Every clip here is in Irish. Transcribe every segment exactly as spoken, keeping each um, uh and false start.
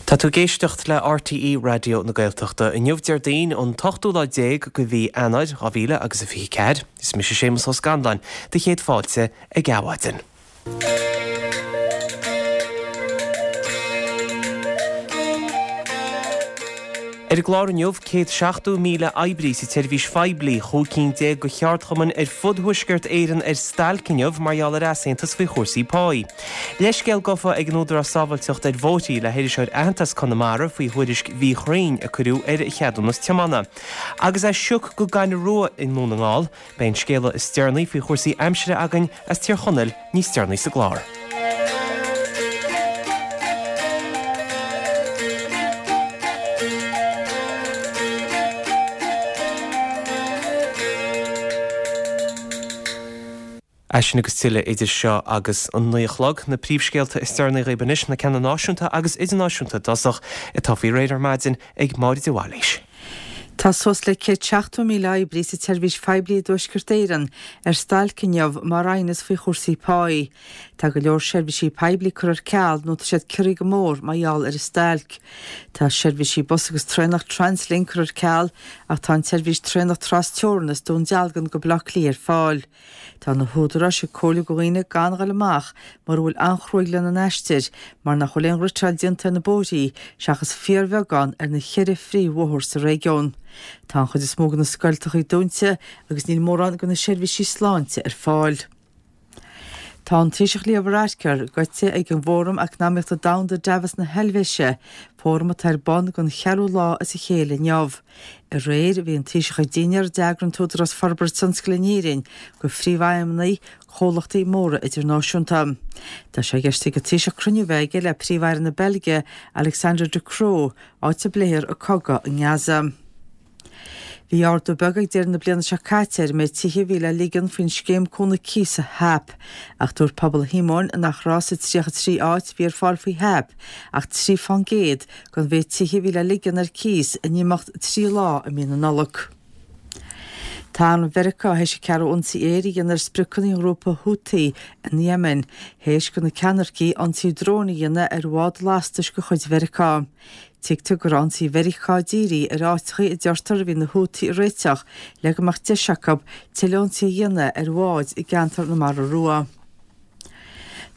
Tá tú ag éisteacht le RTÉ Raidió na Gaeltachta inniu Déardaoin an t-ochtú lá déag de mhí Eanáir dhá mhíle agus a fiche ceathair. Is mise Séamus Ó Scanláin, do chéad fáilte ag Adhmhaidin. Ar an gclár inniu, céad seachtó míle oibrí sa tseirbhís phoiblí, chúig cinn déag de cheardchumainn ar fud Thuaisceart Éireann ar stailc inniu mar gheall ar easaontas faoi chúrsaí páí. Leithscéal gafa ag an Údarás Sábháilteachta ar Bhóithre le hiriseoir aitheanta as Conamara faoi thuairisc mhíchruinn a cuireadh ar a cheadúnas tiomána. Agus é sioc go gaineamh rua i nDún na nGall, beidh an scéala is deireanaí faoi chúrsaí aimsire againn as Tír Chonaill níos deireanaí sa gclár. É sin agus tuilleadh idir seo agus an naoi a chlog. Na príomhscéalta is deireanaí dhaoibh anois, na ceanna náisiúnta agus idirnáisiúnta i dtosach, atá faoi réir ar maidin ag Máire de Bhailís. Tá suas le céad seachtó míle oibrí sa tseirbhís phoiblí i dTuaisceart Éireann ar stailc inniu mar aighneas faoi chúrsaí páí. Tá go leor seirbhísí poiblí curtha ar ceal nó tá siad ciorraithe go mór mar gheall ar an stailc. Tá seirbhísí bus agus traenach Translink curtha ar ceal ach tá an tseirbhís traenach tras-teorann as Dún Dealgan go Baile Átha Cliath ar fáil. Tá na húdaráis ag comhairliú do dhaoine gan dhul amach mura bhfuil an-chruaidh lena n-aistir mar nach bhfuil aon fhriotáil déanta ar na bóithrí seachas fíorbheagán ar na cheithre phríomhbhóthar sa réigiún. Tá an chuid is mó de na scoilteachaí dúnta agus níl mórán de na seirbhísí sláinte ar fáil. Tá an Taoiseach Leo Varadkar goite ag an bhFóram Eacnamaíochta Domhanda Davos na hEilvéise, fóram atá ar bun don cheathrú lá as a chéile inniu. Aréir, bhí an Taoiseach ag dinnéar a d'eagraigh an tÚdarás Forbartha Tionscail in Éirinn do phríomhfheidhmeannaigh comhlachtaí móra idirnáisiúnta. Tá sé i gceist ag an Taoiseach cruinniú a bheith aige le Príomh-Aire na Beilge, Alexander De Croo, áit a bpléifear an cogadh i nGaza. Bhí ardú beag ag deireadh na bliana seo caite ar an méid tithe a bhí le ligean faoin scéim cúnamh cíosa HAP, ach dúirt Pobal Shíomóin nach raibh sa tríocha trí áit a bhí ar fáil faoi HAP ach trí fán gcéad den mhéid tithe a bhí le ligean ar cíos in imeacht trí lá i mí na Nollag. Tá arm Mheiriceá théis a ceathrú ionsaí aeir a dhéanamh ar spriocanna an ghrúpa Houthi in Yemen, théis do na ceannaircigh ionsaí dróin a dhéanamh ar bhád lastais de chuid Mheiriceá. Tuigtear go raibh ionsaí Mheiriceá dírithe ar áiteachaí a deirtear a bhí na Houthi ag réiteach le go mbeadh deis acu tuilleadh ionsaí a dhéanamh ar bháid i gceantar na Mara Rua.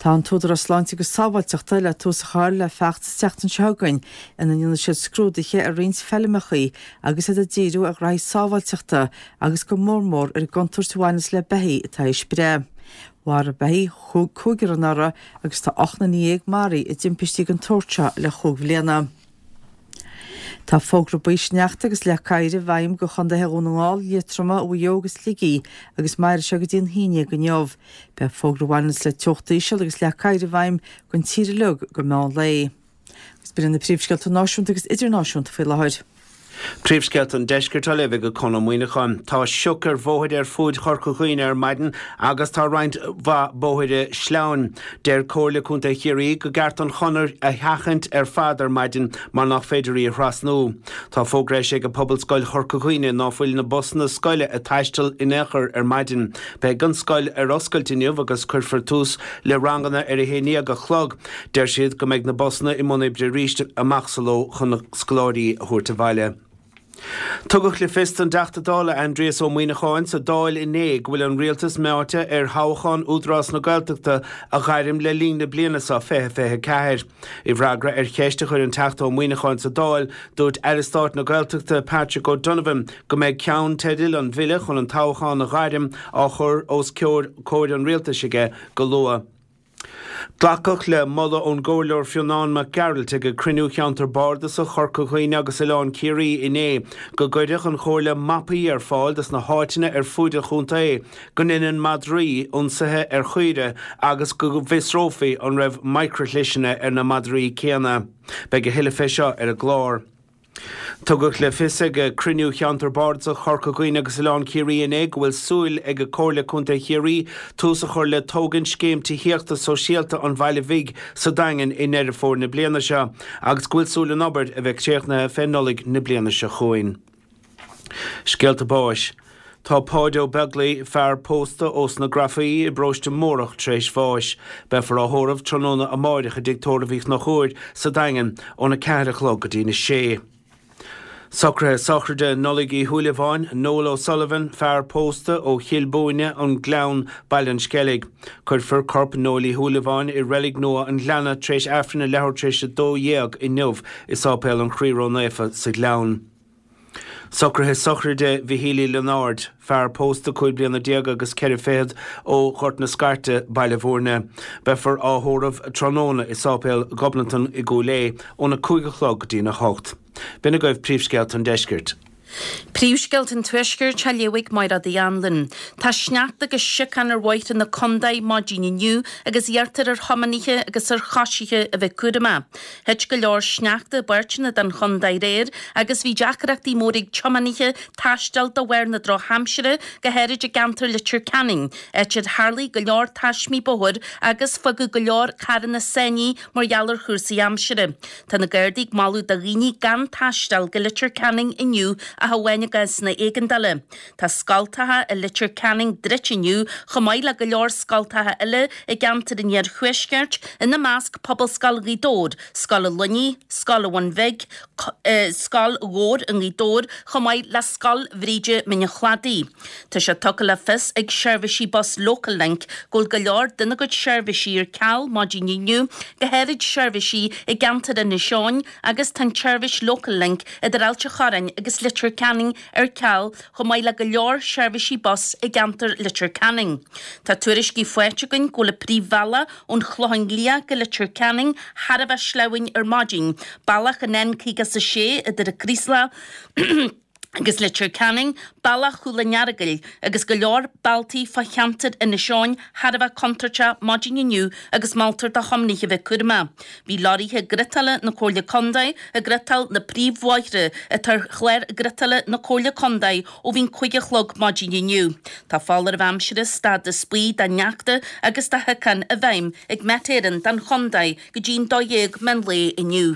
Tá an tÚdarás Sláinte agus Sábháilteachta le tús a chur le feachtas an tseachtain seo chugainn ina ndéanfaidh siad scrúduithe ar roinnt feilmeachaí agus iad ag díriú ar ghraithí sábháilteachta agus go mór mór ar an gcontúirt a bhaineas le beithígh atá théis breith. Mharaigh beithígh cúigear anuraidh agus tá ocht nduine dhéag maraithe i dtimpistí den tsórt seo le chúig bhliana. Tá fógra buí sneachta agus leac oighir i bhfeidhm do chontaetha Dhún na nGall, Liatroma, Mhaigh Eo agus Shligigh agus mairfidh sé go dtí an haon déag inniu. Beidh fógra a bhaineanns le teocht íseal agus leac oighir i bhfeidhm don tír uilig go meán lae. Agus b'in iad na príomhscéalta náisiúnta agus idirnáisiúnta faoi láthair. Príomhscéalta an Deiscirt á léamh ag Conn Ó Muíneacháin. Tá sioc ar bhóithre ar fuaid Chorca Dhuibhne ar maidin agus tá roinnt mhaith bóithre sleamhain. Deir Comhairle Contae Chiarraí go gceart an chonair a sheachaint ar fad ar maidin mar nach féidir í a thrasnú. Tá fógra eisithe ag Pobalscoil Chorca Dhuibhne ná fuil na busanna scoile ag taisteal in aon chor ar maidin. Beidh an scoil ar oscailt inniu agus cuirfear tús le ranganna ar a haon déag a chlog. Deir siad go mbeidh na busanna i mbun oibre arís amach sa ló chun na scoláirí a thabhairt abhaile. Tugadh le fios don dTeachta Dála Aindrias Ó Muíneacháin sa Dáil inné go bhfuil an Rialtas meáite ar thoghchán Údarás na Gaeltachta a ghairm le linn na bliana seo fiche fiche ceathair. I bhfreagra ar cheist a chuir an Teachta Ó Muíneacháin sa Dáil, dúirt Aire Stáit na Gaeltachta Patrick O'Donovan go mbeidh ceannteidil an bhille chun an toghchán a ghairm á chur os comhair an Rialtais aige go luath. Glacadh le moladh ón gComhairleoir Fionán Mac Gearailt ag cruinniú Cheantar Bardasach Chorca Dhuibhne agus Oileán Ciarraí inné go gcuirfeadh an Chomhairle mapaí ar fáil dos na háiteanna ar fuaid an chontae go ndeineann madraí ionsaithe ar chaoire agus go bhfiosrófaí an raibh micreashliseanna ar na madraí céanna. Beidh a thuilleadh fé seo ar an gclár. Tugadh le fios ag cruinniú Cheantar Bardasach Chorca Dhuibhne agus Oileán Ciarraí inné go bhfuil súil ag Comhairle Contae Chiarraí tús a chur le tógaint scéim tithíochta sóisialta an Bhaile Bhig sa Daingean i nDeireadh Fómhair na bliana seo agus go bhfuil súil an obair a bheith críochnaithe fé Nollaig na bliana seo chugainn. Scéalta báis. Tá Páid Ó Beaglaoi, fear pósta ós na Grafaí i bparóiste Mórdhach tar éis bháis. Beifear á thórramh tráthnóna amáireach i dTigh Tórraimh Uí Chonchúir sa Daingean óna ceathair a chlog go dtí na sé. Socruithe sochraide Nollaig Uí Shúilleabháin, Noel O'Sullivan, fear pósta ó Chill Búinne, an Gleann, Baile an Sceilg. Cuirfear corp Noel Uí Shúilleabháin i Reilig Nua an Ghleanna tar éis Aifreann a leathuair tar éis a dó dhéag inniu i Sáipéal an Chroí Ró-Naofa sa Ghleann. Socruithe sochraide Mhichíl Uí Lionáird, fear pósta cúig bliana déag agus ceithre fichead ó Ghort na Scairte, Baile Bhúirne. Beifear á thórramh tráthnóna i Sáipéal Ghobnatan i gCúil Aodha óna cúig a chlog go dtína hocht. B'in agaibh príomhscéalta an deiscirt. Príomhscéalta an Tuaiscirt á léamh ag Máire Uí Anluain. Tá sneachta agus siocán ar bhóithre na contae maidin inniu agus iarrtar ar thiománaithe agus ar choisithe a bheith cúramach. Thit go leor sneachta i bpáirteanna den chontae aréir agus bhí deacrachtaí móra ag tiománaithe taisteal de bharr na drochaimsire, go háirid i gceantar Leitir Ceanainn, áit ar tharlaigh go leor taismí bóthair agus fágadh go leor carranna sáinnithe mar gheall ar chúrsaí aimsire. Tá na Gardaí ag moladh do dhaoine gan taisteal go Leitir Ceanainn inniu ach amháin i gcásanna éigeandála. Tá scoltacha i Leitir Ceanainn druidte inniu chomh maith le go leor scoltacha eile i gceantar an Iarthuaiscirt, ina measc Pobalscoil Ghaoth Dobhair, Scoil an Luinnigh, Scoil an Bhun Bhig, Scoil Mhór i nGaoth Dobhair chomh maith le Scoil Bhríde Mín an Chladaigh. Tá sé tugtha le fios ag seirbhísí bus Local Link go bhfuil go leor dena gcuid seirbhísí ar ceal maidin inniu, go háirid seirbhísí i gceantar Inis Eoghain agus tá an tseirbhís Local Link idir Ailt an Chorráin agus Leitir Ceanainn ar ceal chomh maith le go leor seirbhísí bus i gceantar Leitir Ceanainn. Tá tuairiscí faighte againn go bhfuil an príomhbhealach ón Chlochán Liath go Leitir Ceanainn thar a bheith sleamhain ar maidin, bealach an N caoga is a sé idir an Craoslach agus Leitir Ceanainn, bealach Chúil an Earagail agus go leor bealtaí fá cheantar Inis Eoghain thar a bheith contúirteach maidin inniu agus moltar do thiománaithe a bheith cúramach. Bhí lorraithe griotála na Comhairle Contae ag griotáil na príomhbhóithre atá ar chlár griotála na Comhairle Contae ó bhí an cúig a chlog maidin inniu. Tá foláireamh aimsire stádas buí do shneachta agus do shiocán i bhfeidhm ag Met Éireann don chontae go dtí an dó dhéag meán lae inniu.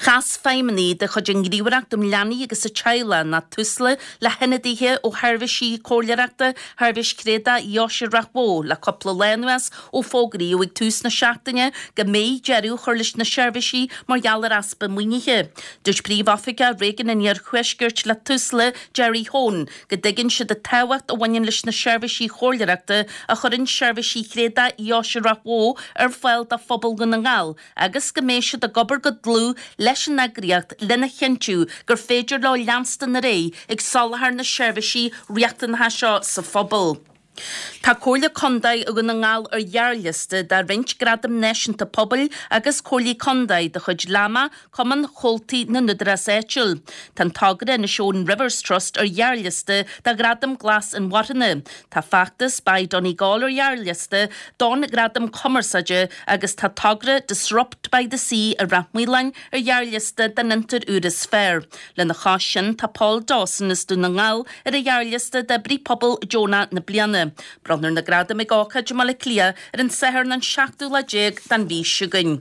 Chas feidhmeannaigh de chuid an Ghníomhaireacht um Leanaí agus an Teaghlach ná Tusla le hionadaithe ó sheirbhísí comhairleoireachta Sheirbhís Thréadach Dheoise Ráth Bhoth le cúpla lá anuas ó fógraíodh ag tús na seachtaine go mbeidh deireadh a chur leis na seirbhísí mar gheall ar easpa maoinithe. Dúirt Príomhoifigeach Réigiún an Iarthuaiscirt le Tusla, Jerry Hone, go dtuigeann siad an tábhacht a bhaineann leis na seirbhísí comhairleoireachta a chuireann seirbhísí Thréadach Dheoise Ráth Bhoth ar fáil do phobal Dhún na nGall agus go mbeidh siad ag obair go dlúth leis an eagraíocht lena chinntiú gur féidir leo leanstan ar aghaidh ag soláthar na seirbhísí riachtanacha seo sa phobal. Tá Comhairle Contae Dhún na nGall ar ghearrliosta de roinnt gradam náisiúnta pobail agus comhairlí contae de chuid LAMA, Cumann Chomhaltaí na nÚdarás Áitiúil. Tá an togra Inishowen Rivers Trust ar ghearrliosta do Ghradam Glas Inmharthana. Tá feachtas Buy Donegal ar ghearrliosta don Ghradam Cumarsáide agus tá togra Disrupt by the Sea i Rath Maoláin ar ghearrliosta don fhiontar úr is fearr. Lena chois sin tá Paul Dawson as Dún na nGall ar an ghearrliosta d'oibrí pobail deonach na bliana. Bronnfar na gradaim ag ócáid i mBaile Átha Cliath ar an Satharn an seachtú lá déag den mhí seo chugainn.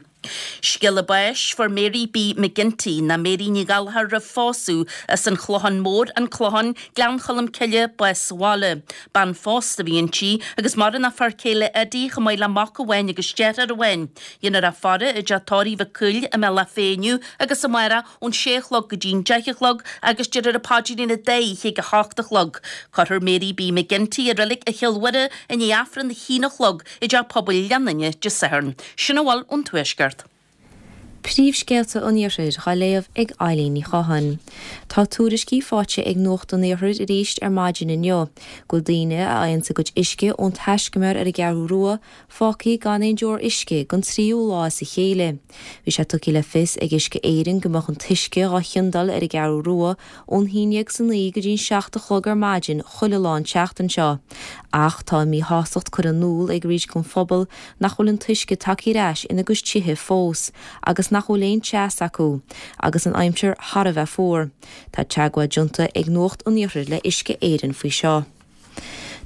Scéala báis fuair Mary B. McGinty ná Mary Ní Ghallchóir roimh phósadh as an Chlochán Mór, An Clochán, Gleann Cholm Cille, bás sa bhaile. Bean phósta a bhí inti agus maireann a fear céile Eddie chomh maith le mac amháin agus deartháir amháin. Déanfar í a faire i dteach tórraimh Mhic Cumhaill i mBealach Féich inniu agus amárach ón sé a chlog go dtí'n deich a chlog agus déarfar an paidrín an dá oíche ag a hocht a chlog. Cuirfear Mary B. McGinty i reilig Chill Mhuire i ndiaidh Aifreann a haon a chlog i dteach pobail Ghleann Dé Sathairn. Sin a bhfuil ón Tuaisceart. Príomhscéalta an Iarthair á léamh ag Eileen Ní Chatháin. Tá tuairiscí faighte ag Nuacht an Iarthair arís ar maidin inniu, go bhfuil daoine a fhaigheann a gcuid uisce ón taiscumar ar an gCeathrú Rua fágtha gan aon deoir uisce don tríú lá as a chéile. Bhí sé tugtha le fios ag Uisce Éireann go mbeadh an t-uisce á chiondáil ar an gCeathrú Rua ón haon déag is a naoi go dtí an seacht a chlog ar maidin chuile lá an tseachtain seo. Ach tá míshástacht curtha in iúl ag roinnt den phobal nach bhfuil an t-uisce tagtha ar ais ina gcuid tithe fós, agus nach bhfuil aon teas acu, agus an aimsir thar a bheith fuar. Tá teagmháil déanta ag Nuacht an Iarthair le Uisce Éireann faoi seo.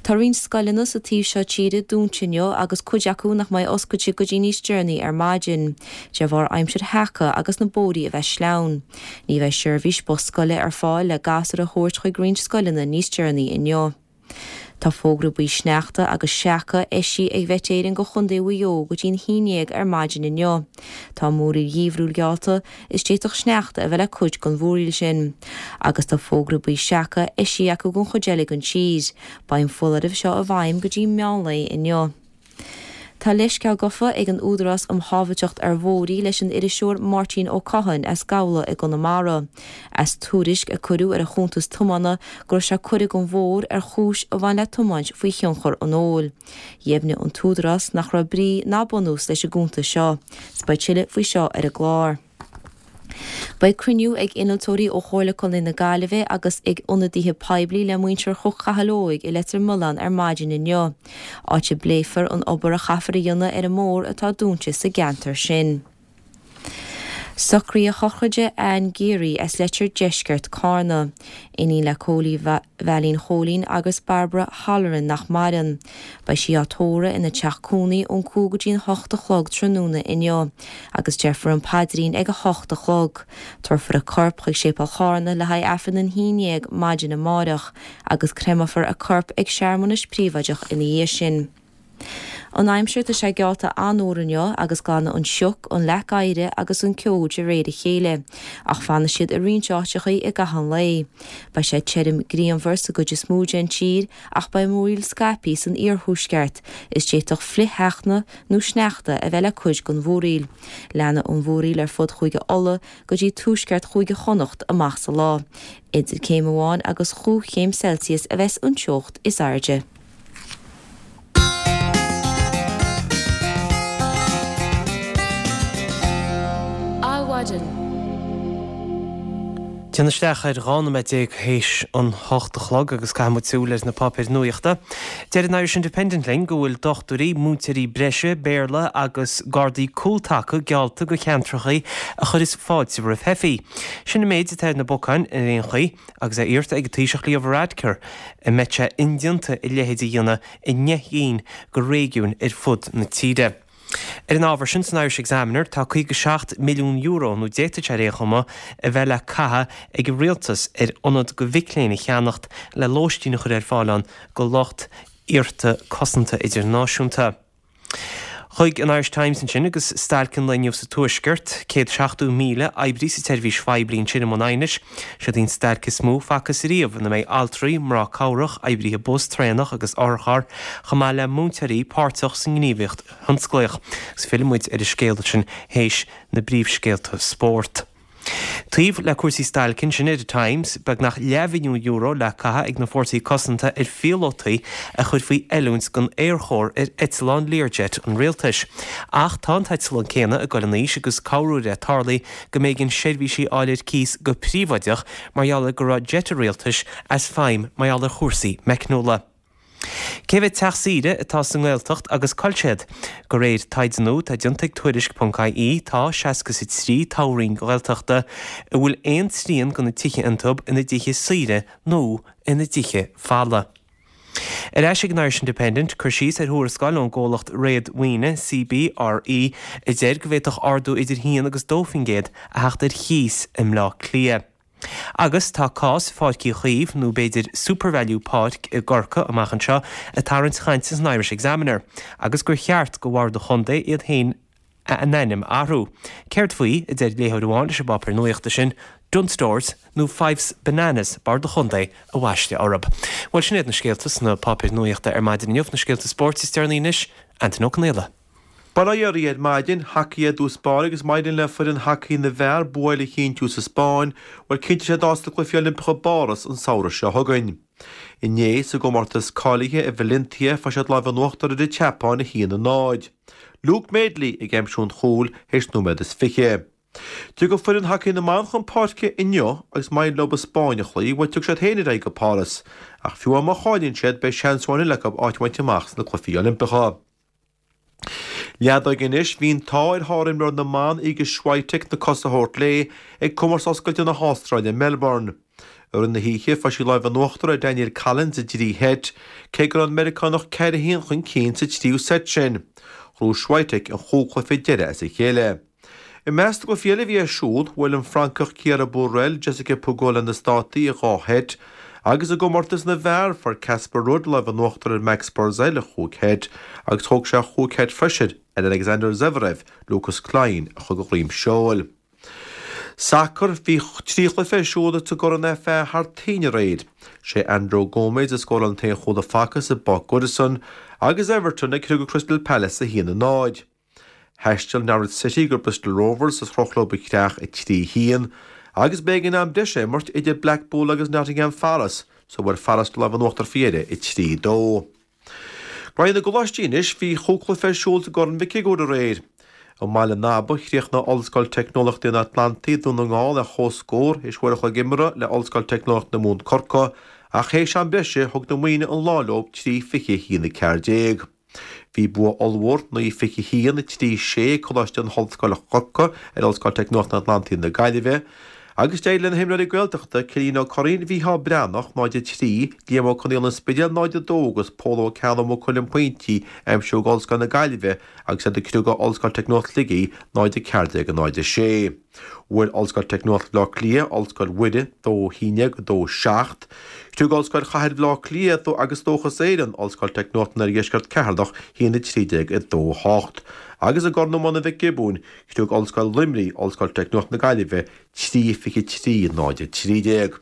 Tá roinnt scoileanna sa taobh seo tíre dúnta inniu agus cuid acu nach mbeidh oscailte go dtí níos deireanaí ar maidin, de bharr aimsir sheaca agus na bóithre a bheith sleamhain. Ní bheidh seirbhís bus scoile ar fáil le gasúir a thabhairt chuig roinnt scoileanna níos deireanaí inniu. Tá fógra buí sneachta agus seaca eisithe ag Met Éireann go Chontae Mhaigh Eo go dtí'n haon déag ar maidin inniu. Tá múraíl gheimhriúil geallta is d'fhéadfadh sneachta a bheith le cuid den mhúraíl sin. Agus tá fógra buí seaca eisithe acu don chuid eile den tír. Beidh an foláireamh seo i bhfeidhm go dtí meánlae inniu. Tá leithscéal gafa ag an Údarás um Shábháilteacht ar Bhóithre leis an iriseoir Máirtín Ó Catháin as Gabhla i gConamara, as tuairisc a cuireadh ar a chuntas tiomána go raibh sé curtha den bhóthar ar chúis a bhain le tiomáint faoi thionchar an óil. Dheimhnigh an tÚdarás nach raibh brí ná bunús leis an gcuntas seo. 'S beidh tuilleadh faoi seo ar an gclár. Beidh cruinniú ag innealtóirí ó Chomhairle Contae na Gaillimhe agus ag ionadaithe poiblí le muintir Chnoc Chathail Óig i Leitir Mealláin ar maidin inniu, áit a bpléifear an obair a chaithfear a dhéanamh ar an mbóthar atá dúnta sa gceantar sin. Socruithe sochraide Anne Geary as Leitir Deiscirt Carna, iníon le Cóilí Veailín Chóilín agus Barbara Halloran nach maireann. Beidh sí á tórramh ina teach cónaí ón cúig go dtí an hocht a chlog tráthnóna inniu agus déarfar an paidrín ag a hocht a chlog. Tabharfar a corp chuig Séipéal Charna le haghaidh Aifreann an haon déag maidin amárach agus créamfar a corp ag searmanas príobháideach ina dhiaidh sin. An aimsir tá sé geallta an-fhuar inniu agus glanfaidh an sioc, an leac oighir agus an ceo de réir a chéile, ach fanfaidh siad i roinnt áiteachaí i gcaitheamh an lae. Beidh sé tirim grianmhar sa gcuid is mó den tír ach beidh múraíl scaipthe san iarthuaisceart is d'fhéadfadh flichshneachta nó sneachta a bheith le cuid den mhúraíl. Leanfaidh an mhúraíl ar fud Chúige Uladh go dtí tuaisceart Chúige Chonnacht amach sa lá. Idir céim amháin agus chúig chéim Celsius a bheas an teocht is airde. Adhmhaidin. Téann isteach ar dhá nóiméad déag théis an hocht a chlog agus caithfidh muid súil ar na páipéir nuachta. Deir an Irish Independent linn go bhfuil dochtúirí, múinteoirí breise, Béarla agus gardaí cúltaca geallta go ceantracha a chuireas fáilte roimh theifigh. Sin an méid atá ar na bacáin ar aon chaoi agus é iarrta ag an Taoiseach Leo Varadkar an mbeidh sé indéanta a leithéid a dhéanamh i ndeich gcinn de réigiúin ar fud na tíre. Ar an ábhar sin san Irish Examiner tá caoga seacht milliún euro, nó d'fhéadfadh sé ar aon chuma, a bheith le caitheamh ag an rialtas ar ionad go mhic léinn a cheannacht le lóistín a chur ar fáil ann go lucht iarrta cosanta idirnáisiúnta. Chuig an Irish Times ansin agus stailc an lae inniu sa Tuaisceart, céad seachtó míle oibrí sa tseirbhís phoiblí ansin i mbun aighnis. Siod í an stailc is mó facthas ariamh ina mbeidh altraí, mná cabhrach, oibrithe bus, traenach agus otharcharr, chomh maith le múinteoirí páirteach sa ngníomhaíocht thionsclaíoch. Agus fillfidh muid ar an scéal sin théis na bpríomhscéalta spóirt. Taobh le cúrsaí stailce ansin ar an Times, beagnach leathmhilliún euro le caitheamh ag na Fórsaí Cosanta ar phíolótaí a chur faoi oiliúint don Aerchór ar eitleán Learjet an rialtais. Ach tá an t-eitleán céanna ag dul in aois agus corruair é tarlaíonn go mb'éigean seirbhísí a fháil ar cíos go príobháideach mar gheall ar go raibh jet an rialtais as feidhm mar gheall ar chúrsaí meicniúla. Cé mhéad teach saoire atá sa nGaeltacht agus cá bhfuil siad? De réir taighde nua atá déanta ag Tuairisc ponc ie tá seasca is a trí toghroinn Ghaeltachta a bhfuil aon trian de na tithe iontu ina dtithe saoire nó ina dtithe folamh. Ar ais ag an Irish Independent, cur síos ar thuarascáil ón gcomhlacht réadmhaoine CBRE a deir go bhféadfadh ardú idir haon agus dó faoin gcéad a theacht ar chíos i mBleá Cliath. Agus tá cás Pháirc Uí Chaoimh, nó b'fhéidir SuperValu Páirc i gCorcaigh amach anseo, ag tarraingt chainte san Irish Examiner, agus gur cheart go Bhord an Chontae iad féin a n-ainm a athrú. Céard faoi, a deir léitheoir amháin leis an bpáipéar nuachta sin, Dunnes Stores nó Fyffes Bananas Bord an Chontae a bhaisteadh orthu. Bhuel, sin iad na scéalta sna páipéir nuachta ar maidin inniu, na scéalta spóirt is deireanaí anois, Antain Ó Conaola. Bail ó Dhia oraibh ar maidin, hacaí i dtús báire agus má éiríonn le foireann hacaí na bhfear bua eile a chinntiú sa Spáinn, bhuel cinnteoidh siad áit sna Cluichí Oilimpeacha i bPáras an samhradh seo chugainn. Inné, sa gcomórtas cáilithe i Valencia, fuair siad lámh in uachtar ar an tSeapáin a haon a náid. Luke Madeley ag aimsiú an chúil théis nóiméad is fiche. Tiocfaidh foireann hacaí na mban chun páirce inniu agus má éiríonn leo an Spáinn a chloí, bhuel tiocfaidh siad féin ar aghaidh go Páras. Ach fiú amháin má chailleann siad, beidh seans amháin eile acu áit a bhaint amach sna Cluichí Oilimpeacha. Leadóg anois, bhí an t-ádh ar shárimreoir na mban Iga Swiatek na cosa a thabhairt léi ag Comórtas Oscailte na hAstráile i Melbourne. I rith na hoíche, fuair sí lámh in uachtar ar Danielle Collins i dtrí sheit, cé go raibh an Meiriceánach ceithre haon chun cinn sa tríú seit sin. Ghnóthaigh Swiatek an chúig chluiche deiridh as a chéile. I measc na gcluichí eile a bhí ar siúl, bhuail an Francach Chiara Burel Jessica Pegula na Státaí i dhá sheit, agus i gcomórtas na bhfear, fuair Casper Ruud lámh in uachtar ar Max Purcell i chúig sheit, agus thóg sé chúig sheit freisin ar Alexander Zverev, Lukas Klein a chur de dhroim seoil. Sacar, Bhí trí chluiche ar siúl sa gCorn FA thar toinn aréir. Sé Andrew Gomez a scóráil an t-aon chúl a facthas i bPáirc Goodison, agus Everton ag criogadh Crystal Palace a haon a náid. Thaistil Norwich City go Bristol Rovers is chroch leo a chreach a trí haon, agus b'éigean am breise a imirt idir Blackpool agus Nottingham Forest so bhfuair Forest lámh in uachtar faoi dheireadh a trí dó. Graithe na gColáistí anois, bhí chúig chluiche ar siúl sa gCorn Mhic Shigiúir aréir. I mBaile an Aba, chríochnaigh Ollscoil Teicneolaíochta an Atlantaigh, Dún na nGall ar comhscór théis uair a chloig imeartha le Ollscoil Teicneolaíocht na Mumhan, Corcaigh, ach théis am breise thug na Muimhnigh an lá leo trí fiche a haon a ceathair déag. Bhí bua ollmhór, naoi fiche a haon, a trí sé, ag Coláiste na hOllscoile Corcaigh ar Ollscoil Teicneolaíochta an Atlantaigh na Gaillimhe, agus d'éirigh le na himreoirí Gaeltachta, Cillian Ó Curraoin, Mhícheál Breathnach, náid a trí, Liam Ó Conaola an Spidéil, náid a dó, agus Pól Ó Ceallaigh Maigh Cuilinn pointí a aimsiú ag Ollscoil na Gaillimhe agus iad ag criogadh Ollscoil Teicneolaíocht Shligigh, náid a ceathair déag, náid a sé. Bhuail Ollscoil Teicneolaíocht Bhaile Átha Cliath Ollscoil Mhuire, dó a haon déag, dó a seacht. Chriog Ollscoil Chathair Bhaile Átha Cliath agus Dóchas Éireann, Ollscoil Teicneolaíocht an Oirdheiscirt Ceatharlach, a haon a trí déag, a dó a hocht. Agus i gCorn Iomána Mhic Giobúin, chriog Ollscoil Luimnigh Ollscoil Teicneolaíocht na Gaillimhe, trí fiche trí, náid a trí déag.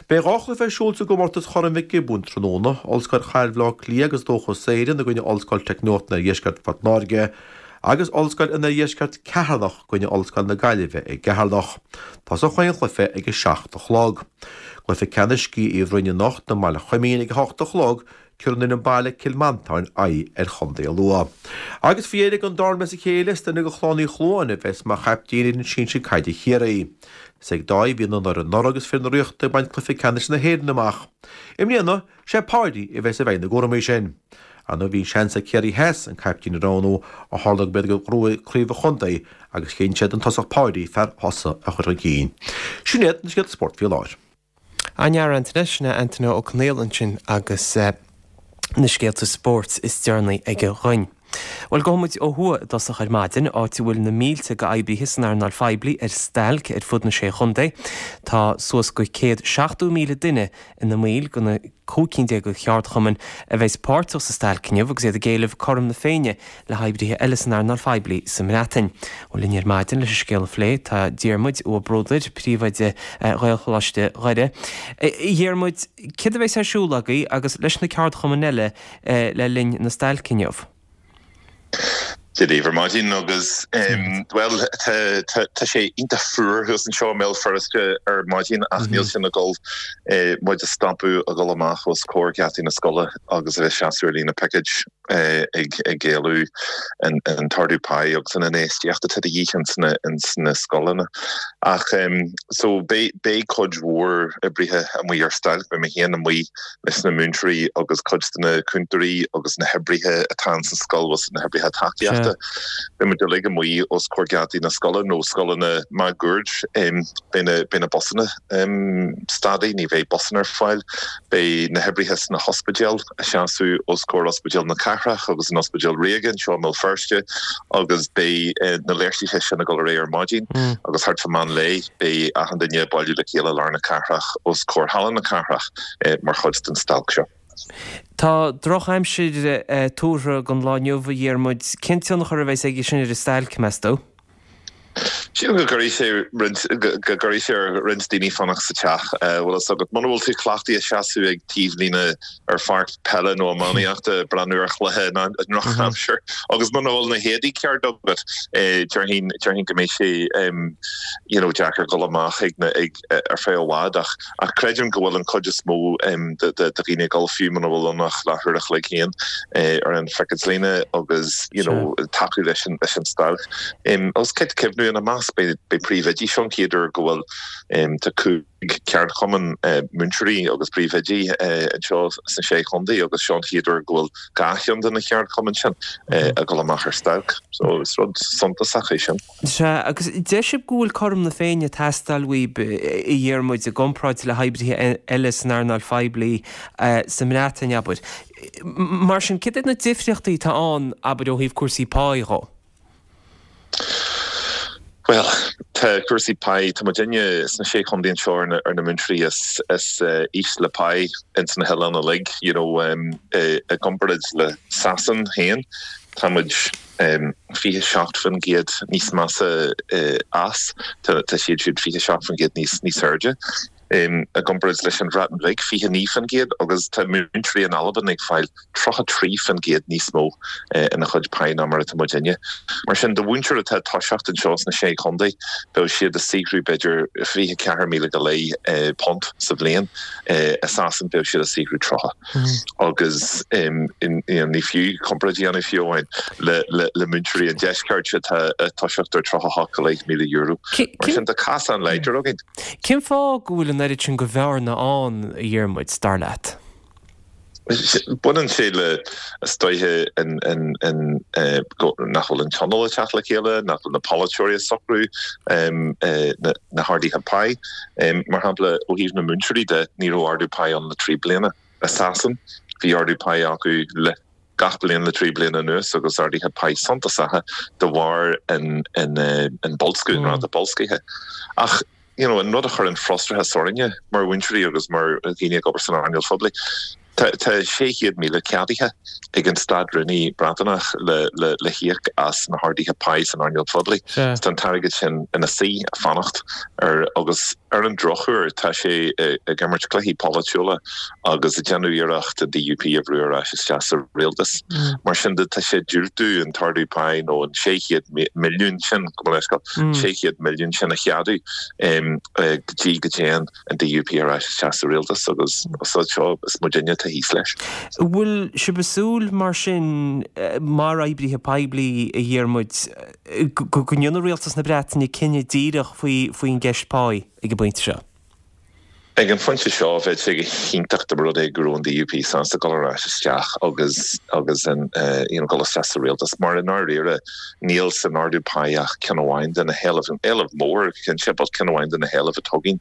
Beidh dhá chluiche ar siúl sa gcomórtas Chorn Mhic Giobúin tráthnóna, Ollscoil Chathair Bhaile Átha Cliath agus Dóchas Éireann i gcoinne Ollscoil Teicneolaíocht an Oirdheiscirt Phort Láirge, agus Ollscoil an Oirdheiscirt Ceatharlach i gcoinne Ollscoil na Gaillimhe i gCeatharlach. Tosóidh chaon chluiche ag a seacht a chlog. Cluiche ceannais Sciath Uí Bhroin anocht i mBaile Choimín ag a hocht a chlog, tabharfaidh an fhoireann baile Cill Mhantáin aghaidh ar Chontae Lú. Agus faoi dheireadh don dara bliain as a chéile, is duine de Chlann Uí Chluáin a bheas mar chaiptín ar fhoireann sinsir caide Chiarraí. Is ag Dáithí a bhí an onóir anuraidh agus fir na Ríochta ag baint cluiche ceannais na hÉireann amach. I mbliana, sé Páidí a bheas i bhfeighil na gcúraimí sin. Ar ndóigh bhí seans ag Ciarraí Theas an caiptín a roghnú ó tharla gurb iad a ghnóthaigh craobh an chontae agus chinn siad an tosach Páidí, fear Thusa, a chur chun cinn. Sin iad na scéalta spóirt faoi láthair. An-fhear Antaine, sin é Antaine Ó Conaola ansin agus na scéalta spóirt is deireanaí aige dhuinn. Bhuel, gabhfaidh muid ó thuaidh i dtosach ar maidin, áit a bhfuil na mílte d'oibrithe san earnáil phoiblí ar stailc ar fud na Sé Chontae. Tá suas go céad seachtó míle duine ina mbaill de na cúig cinn déag de cheardchumainn a bheas páirteach sa stailc inniu agus iad ag éileamh cothrom na Féinne le hoibrithe eile san earnáil phoiblí sa mBreatain. Bhuel, linn ar maidin leis an scéal a phlé tá Diarmuid Ua Bruadair, príomhoide Ghaelcholáiste Dhoire. A Dhiarmuid, céard a bheas ar siúl agaibh agus leis na ceardchumainn eile le linn na stailce inniu? Dia daoibh ar maidin agus bhuel tá sé iontach fuar thuas anseo i mBéal Feirste ar maidin ach níl sin ag dul muid a stopadh a dhul amach os comhair gheataí na scoile agus a bheith seasamh ar líne picéid ag ag éileamh an an t-ardú páí agus an infheistíocht atá de dhíth ins na ins na scoileanna. Ach so beidh beidh cuid mhór oibrithe amuigh ar stailc, beidh mé féin amuigh leis na múinteoirí agus cuid de na cúntóirí agus na hoibrithe atá ins an scoil agus na hoibrithe tacaíochta. Beidh muid uilig amuigh os comhair geataí na scoile nó scoileanna máguaird. Beidh na beidh na busanna stadtha, ní bheidh busanna ar fáil. Beidh na hoibrithe sna hospidéil ag seasamh os comhair Ospidéal na Cathrach agus an Ospidéal Ríoga anseo i mBéal Feirste agus beidh na léirsithe sin ag dul ar aghaidh ar maidin agus thart fá meán lae beidh achan duine ag bailiú le chéile i lár na cathrach os comhair Halla na Cathrach. mar chuid den stailc seo. Tá drochaimsir tuartha don lá inniu, a Dhiarmuid. Cén tionchar a bheas aige sin ar an stailc, meas tú? Sílim go gcuirfidh sé roinnt, go gcuirfidh sé ar roinnt daoine fanacht sa teach. Bhfuil fhios agat, muna bhfuil tú cleachtaithe seasamh ag taobhlíne ar pháirc peile nó iománaíochta ag breathnú ar chluiche i ndrochaimsir agus muna bhfuil na héadaí ceart agat, déarfainn, déarfainn go mbeidh sé you know deacair dul amach ag na, ag, ar feadh i bhfad ach ach creidim go bhfuil an chuid is mó de dhaoine ag dul fiú muna bhfuil ann ach leathuair a chloig féin ar an phicéadlíne agus you know tacú leis an leis an stailc. Agus caithfidh cuimhniú ina measc agus beidh príomhoidí, seo an chéad uair go bhfuil tá cúig ceardchumann múinteoirí agus príomhoidí anseo sna Sé Chontae agus seo an chéad uair go bhfuil dhá cheann de na ceardchumainn sin ag dul amach ar stailc. So is rud suntasach é sin. Sea, agus deir sibh go bhfuil cothrom na Féinne ag teastáil uaibh, a Dhiarmuid, i gcomparáid le hoibrithe eile san earnáil phoiblí sa mBreatain, abair. Mar sin, céard iad na difríochtaí atá ann, abair, ó thaobh cúrsaí páí dhó? Bhuel, tá cúrsaí páí, tá muidinne sna Sé Chontae anseo ar na, ar na múinteoirí is, is ísle páí ins na hoileáin uilig, you know, i gcomparáid le Sasain féin, tá muid fiche seacht faoin gcéad níos measa as, tá, tá siad siúd fiche seacht faoin gcéad níos, níos airde. I gcomparáid leis an Bhreatain Bhig, fiche naoi faoin gcéad, agus tá múinteoirí in Albain ag fáil tríocha trí faoin gcéad níos mó ina chuid páí ná mar atá muidinne. Mar sin, do mhúinteoir atá ag toiseacht anseo sna Sé Chontae, bheadh siad ag saothrú b'fhéidir fiche ceathair míle go leith punt sa bhliain, i Sasain bheadh siad ag saothrú tríocha. Agus ní fiú comparáid a dhéanamh fiú amháin le múinteoirí an deiscirt atá ag toiseacht ar tríocha hocht go leith míle euro. Mar sin, tá cosán láidir againn. Cén fáth go bhfuil an oiread sin de bhearna ann, a Dhiarmuid, dar leat? Baineann sé le, is dóiche, nach bhfuil an tionól ag teacht le chéile, nach bhfuil na polaiteoirí ag socrú na harduithe páí. Mar shampla, ó thaobh na múinteoirí de, ní raibh ardú páí ann le trí bliana. I Sasain, bhí ardú páí acu le gach bliain le trí bliana anuas agus arduithe páí suntasacha de bharr an boilsciú, an ráta boilscithe. Ach you know, an rud a chuireann frustrachas orainne mar mhúinteoirí agus mar dhaoine ag obair san earnáil phoiblí, tá tá sé chéad míle ceadaithe ag an Stát-Rúnaí Breataineach le le le híoc as na harduithe páí san earnáil phoiblí. Tá an t-airgead sin ina suí ag fanacht ar agus ar an drochuair tá sé ag imirt cluichí polaitiúla agus ag déanamh iarracht an D U P a bhrú ar ais isteach sa rialtas. Mar sin de tá sé ag diúltú an t-ardú páí nó an sé chéad milliún sin, gabh mo leithscéal, sé chéad milliún sin a cheadú go dtí go dtéann an D U P ar ais isteach sa rialtas agus seo is muidinne atá thíos leis. An bhfuil sibh ag súil mar sin, mar oibrithe poiblí, a Dhiarmuid, go ndéanfaidh rialtas na Breataine cinneadh díreach faoin gceist páí ag an bpointe seo? Ag an phointe seo, bheadh sé go hiontach dá mba rud é go raibh an D U P sásta dul ar ais isteach agus agus an you know dul isteach sa rialtas mar i ndáiríre níl san ardú páí ach ceann amháin de na héilimh, éileamh mór cinnte, but ceann amháin de na héilimh atá againn.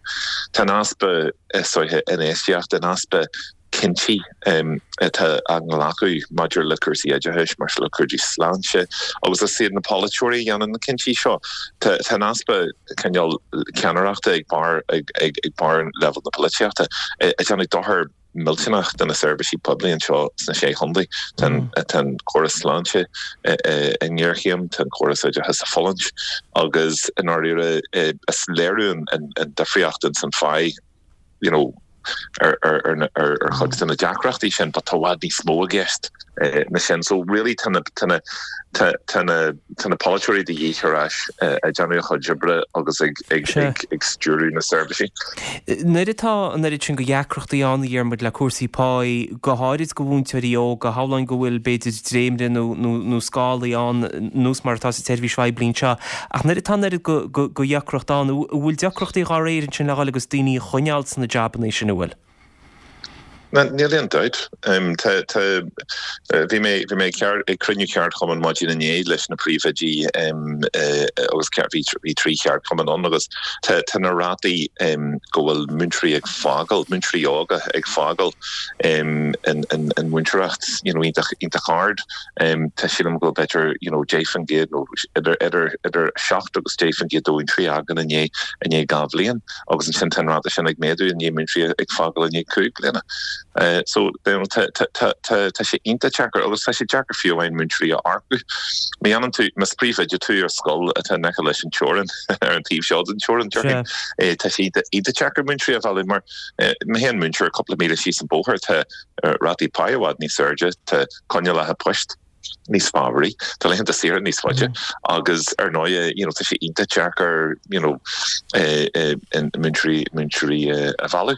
Tá an easpa is dóiche infheistíochta, an easpa cinntí atá á nglacadh maidir le cúrsaí oideachais, maidir le cúrsaí sláinte, agus is iad na polaiteoirí a dhéanann na cinntí seo. Tá an easpa cineál ceannaireachta ag barr ag barr leibhéal na polaitíochta ag déanamh dochar millteanach do na seirbhísí poiblí anseo sna Sé Chontae. Tá an córas sláinte i ngéarchéim, tá an córas oideachais ag fulaingt agus i ndáiríre is léiriú an difríocht ins an phá you know, ar ar ar chuid de na deacrachtaí sin, but tá i bhfad níos mó i gceist ná sin. So really tá na tá na tá tá na tá na polaiteoirí de dhíth ar ais ag déanamh a chuid oibre agus ag ag ag ag stiúradh na seirbhísí. Nuair atá an oiread sin de dheacrachtaí ann, a Dhiarmuid, le cúrsaí páí, go háirid do mhúinteoirí óga, shamhlóinn go bhfuil b'fhéidir dréimire nó nó nó scálaí ann nós mar atá sa tseirbhís phoiblí anseo, ach nuair atá an oiread de dheacracht ann, an bhfuil deacrachtaí dá réir ansin le dhul agus daoine a choinneáil sna jabanna sin, an bhfuil? Níl aon dabht. Tá, tá, bhí mé, bhí mé ag cruinniú ceardchumainn maidin inné leis na príomhoidí agus bhí, bhí trí cheardchumann ann agus tá, tá na rátaí go bhfuil múinteoirí ag fágáil, múinteoirí óga ag fágáil an, an, an mhúinteoireacht, you know, iontach, iontach ard. Tá sílim go bhfuil b'fhéidir, you know, deich faoin gcéad nó idir, idir, idir seacht agus deich faoin gcéad de mhúinteoirí a fhágann i ndiaidh, i ndiaidh dhá bhliain agus ansin tá an ráta sin ag méadú i ndiaidh múinteoirí ag fágáil i ndiaidh cúig bliana. So tá tá tá tá sé iontach deacair agus tá sé deacair fiú amháin múinteoirí a earcú. Má dhéanann tú, más príomhoide tú ar scoil atá in aice leis an teorainn, ar an taobh seo den teorainn, déarfainn, tá sé iontach deacair múinteoirí a mhealladh mar má théann múinteoir cúpla míle síos an bóthar tá rátaí páí i bhfad níos airde, tá coinníollacha poist níos fabhraí, tá laethanta saoire níos faide agus ar ndóigh you know tá sé iontach deacair you know múinteoirí múinteoirí a mhealladh.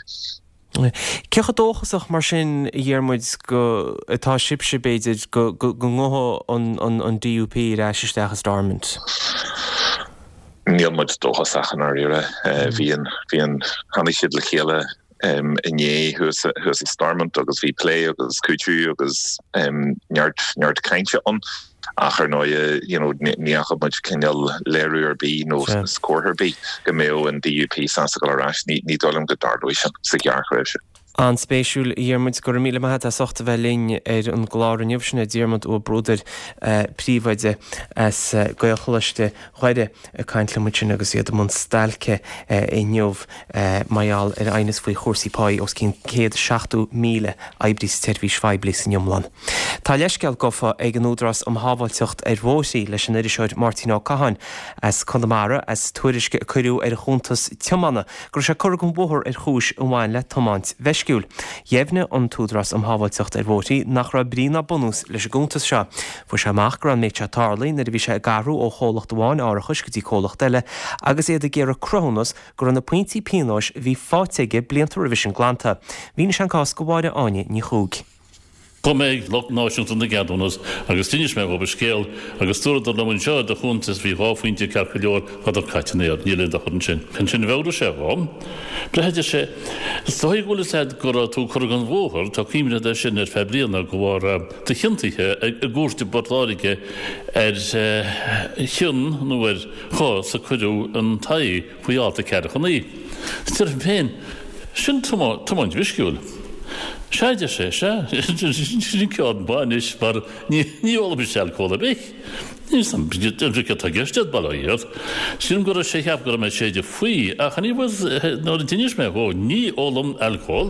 Cé chomh dóchasach mar sin, a Dhiarmuid, go atá sibhse, b'fhéidir, go go ngabhfaidh an an D U P ar ais isteach i Stormont? Níl muid dóchasach i ndáiríre. Bhí an, bhí an, tháinig siad le chéile inné thuas thuas i Stormont agus bhí plé agus cúiteamh agus neart neart cainte ann ach ar ndóigh you know ní fhaca muid cineál léiriú ar bith nó comhartha ar bith go mbeadh an D U P sásta dul ar ais. Ní ní dóigh liom go dtarlóidh sin sa ghearrthréimhse. An-spéisiúil, a Dhiarmuid. Go raibh míle maith agat as ucht a bheith linn ar an gclár inniu. Sin é Diarmuid Ó Bruadair, príomhoide as Gaelcholáiste Dhoire ag caint liom ansin agus iad i mbun stailce inniu mar gheall ar aighneas faoi chúrsaí páí os cionn céad is seachtó míle oibrí sa tseirbhís phoiblí san iomlán. Tá leithscéal gafa ag an Údarás um Shábháilteacht ar Bhóithre leis an iriseoir Máirtín Ó Catháin as Conamara as tuairisc a cuireadh ar a chuntas tiomána go raibh sé curtha den bhóthar ar chúis a bhain le tiomáint mheisciúil. Dheimhnigh an tÚdarás um Shábháilteacht ar Bhóithre nach raibh brí ná bunús leis an gcuntas seo. Fuair sé amach go raibh an méid seo tarlaithe nuair a bhí sé ag athrú ó chomhlacht amháin árachais go dtí comhlacht eile agus iad ag iarraidh cruthúnas go raibh na pointí pionóis a bhí faighte aige blianta roimhe sin glanta. Mhínigh sé an cás do Mháire Áine Ní Chuaig. Chuaigh mé ag lucht náisiúnta na gceadúnas agus d'inis mé dhóibh an scéal agus dúradar liom anseo i do chuntas bhí dhá phointe ceart go leor tádar caite in aer, níl aon dochar ansin. Ansin mheabhraigh sé dhom, Breithe, a deir sé, is dóigh go bhfuil fhios a'd go raibh tú curtha den bhóthar, tá cuimhne a'd air sin ar feadh bliana de bharr tú ciontaithe i gcúirt i bPort Láirge ar chion nó ar chás a cuireadh in t'aghaidh faoi alt a ceathracha naoi. Is deirim féin, sin tiomáint mheisciúil. Sea, a deir sé, sea, sin ceann maith anois mar ní ólaimse alcól ar bith. Níl 'fhios a'm céard atá i gceist agat, bail ó Dhia ort. Sílim go raibh sé ag ceapadh go raibh mé ag séideadh faoi, ach anyways nuair a d'inis mé dhó, ní ólaim alcól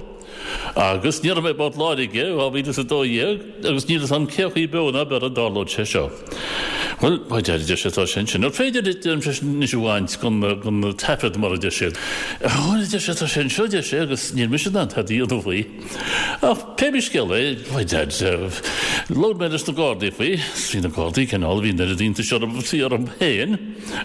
agus ní raibh mé i bPort Láirge dhá mhíle is a dó dhéag agus níl 'fhios a'm cé chaoi beo ná beir a dtarlódh sé seo. Bhuel, a deir sé, tá sé ansin. Ar féidir leat anois a bhaint den taifead mar a deir siad? Bhuel, a deir sé, tá sé anseo, a deir sé, agus níl mise in ann tada a dhéanamh faoi. Ach pé bí scéal é, a deir, labhair mé leis na Gardaí faoi. Bhí na Gardaí cineál, bhí an oiread iontais orthu is orm féin,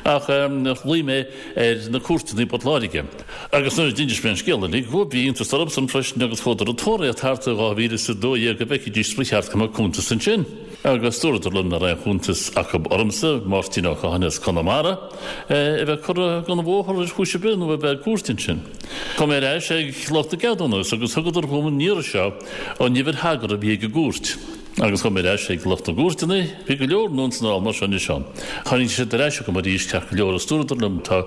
ach ghlaoigh mé ar na cúirteanna i bPort Láirge. Agus nuair a d'inis mé an scéal uilig dhóibh, bhí iontas orthusan freisin agus chuadar ag tóraíocht thart i dhá mhíle is a dó dhéag go bhfeicfidís ba cheart go mbeadh cuntas ansin. Agus dúradar liom nach raibh aon chuntas acu ormsa, Máirtín Ó Catháin as Conamara, a bheith curtha den bhóthar ar chúis ar bith nó a bheith i gcúirt ansin. Chuaigh mé ar ais ag lucht na gceadúnas agus thugadar dhom an iarraidh seo an uimhir thagartha a bhí ag an gcúirt. Agus chuaigh mé ar ais ag lucht na gcúirteanna, bhí go leor ansan mar seo anois ann. Tháinig siad ar ais chugam arís ceart go leor agus dúradar liom tá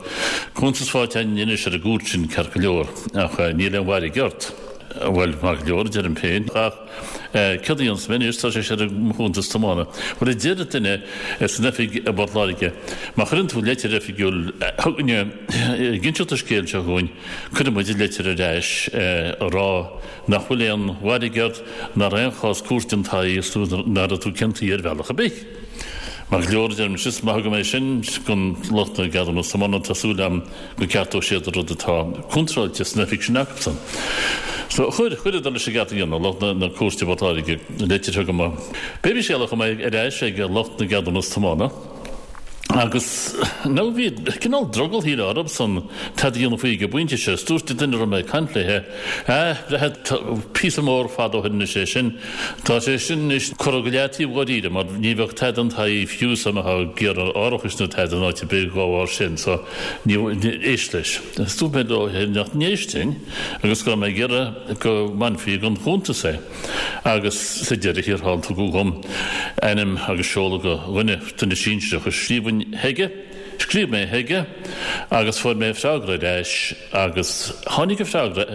cuntas faighte againn anois ar an gcúirt sin ceart go leor ach níl aon mhairg ort. Bhuel, maith go leor, a deirim féin, ach céard a dhéanfas mé anois, tá sé sin ar mo chuntas tiomána. Bhuel, a deir duine san oifig i bPort Láirge, má chuireann tú leitir oifigiúil chugainne ag inseacht an scéil seo dhúinn, cuirfidh muid leitir ar ais a rá nach bhfuil aon mhairg ort, nach raibh aon chás cúirte in t'aghaidh is nach raibh tú ciontaithe ar bhealach ar bith. Maith go leor, a deirimse, is maith agam é sin don lucht na gceadúnas tiomána, tá súil agam go gceartóidh siad an rud atá contráilte san oifig sin acusan. So, chuir, chuireadar leis an gceart a dhéanamh, lucht na, na cúirte i bPort Láirge, leitir chugam. Pé bí scéal é, chuaigh mé ar ais ag lucht na gceadúnas tiomána agus now bhí cineál drogall shílfeá orthusan tada a dhéanamh faoi ag an bpointe seo. Is dúirt an duine a raibh mé ag caint léithe, ah, breithe, píosa mór fada ó shin anois é sin, Tá sé sin anois curtha go leataobh dháiríre mar ní bheadh tada in t'aghaidh fiú dá mbeifeá ag iarraidh árachais nó tada in áit ar bith dhá bharr sin so ní éist leis. Is dúirt mé leo nach n-éistfinn agus go raibh mé ag iarraidh go mbainfí den chuntas é agus sa deireadh thiar thall tugadh dhom ainm agus seoladh do dhuine, duine sinsearach a scríobhfainn chuige. Scríobh mé chuige agus fuair mé freagra ar ais agus tháinig an freagra,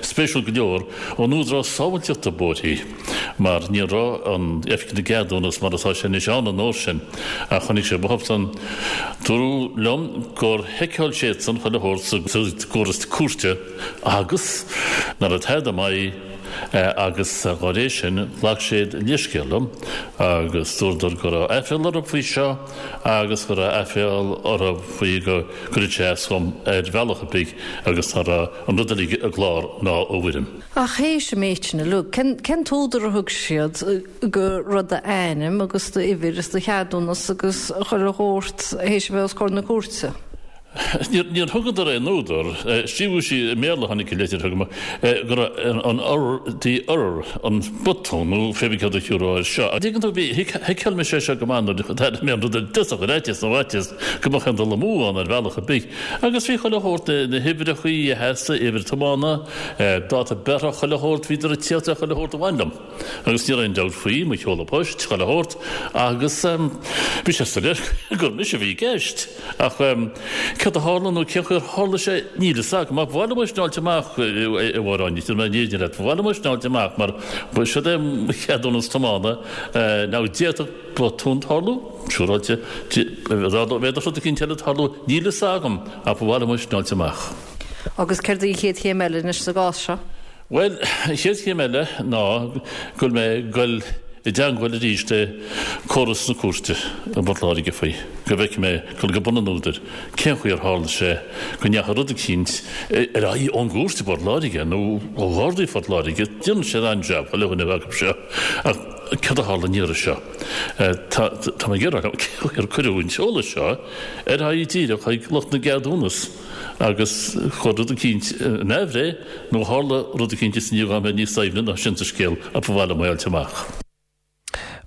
spéisiúil go leor, ón Údarás Sábháilteachta Bóithre mar ní raibh an Oifig na gCeadúnas mar atá sé anois ann an uair sin ach tháinig sé uathusan. Dúradh liom gur sheiceáil siadsan chuile shórt sa gcóras cúirte agus nach raibh tada i m'aghaidh agus dá réir sin ghlac siad leithscéal liom agus dúradar go raibh aiféala orthu faoi seo agus go raibh aiféal orthu faoi go gcuirfeadh sé as dhom ar bhealach ar bith agus nach raibh an rud uilig i gclár ná i bhfoirm. Ach théis an méid sin uilig, cén cén t-údar a thug siad go raibh d'ainm agus d'uimhir is do cheadúnas agus chuile shórt théis a bheith os comhair na cúirte? Níor thugadar aon údar. Scríobhadh sí i mBéarla, tháinig an litir chugam, go raibh an error, the error, an botún nó pé bith céard a thiúrfá air seo. An dtuigeann tú, bhí, thuigfeadh mise é seo go maith nuair a d'airigh mé an rud ar dtosach, ar fhaitíos nó fhaitíos go mbeadh aon dul amú ann ar bhealach ar bith. Agus bhí chuile shórt, na huimhreachaí a sheasadh, uimhir tiomána, dáta breithe, chuile shórt, bhíodar ag tíocht le chuile shórt a bhain liom. Agus ní raibh aon dabht faoi, mo sheoladh poist, chuile shórt, agus bhí sé soiléir gur mise a bhí i gceist. Ach céard a tharla nó cén chaoi ar tharla sé, níl fhios agam. Ach ba mhaith liom é sin a fháilt amach, a Mháire Áine, déarfaidh mé an fhírinne leat, ba mhaith liom é sin a fháilt amach mar siod é mo cheadúnas tiomána. Now d'fhéadfadh botún tarlú, siúráilte, d'fhéadfadh rud eicínt eile tarlú, níl fhios agam, ach ba mhaith liom é sin a fháilt amach. Agus céard í an chéad chéim eile anois sa gcás seo? Bhuel, an chéad chéim eile ná go bhfuil mé ag goil i dteangmháil arís le córas na cúirte i bPort Láirge faoi, go bhfeicfidh mé, dul go bun an údair, cén chaoi ar tharla sé go ndeachaigh rud eicínt ar aghaidh ón gcúirt i bPort Láirge nó ó Ghardaí Phort Láirge. Déanann siad an-jab, chuile dhuine acu seo, ach céard a tharla an iarraidh seo? Tá, tá mé ag iarraidh a fháil cén chaoi ar cuireadh an t-eolas seo ar aghaidh díreach chuig lucht na gceadúnas. Agus chuir rud eicínt in aimhréidh, nó tharla rud eicínt is i ndiaidh dhom a bheith níos doimhne ná sin sa scéal ach ba mhaith liom é a fháilt amach.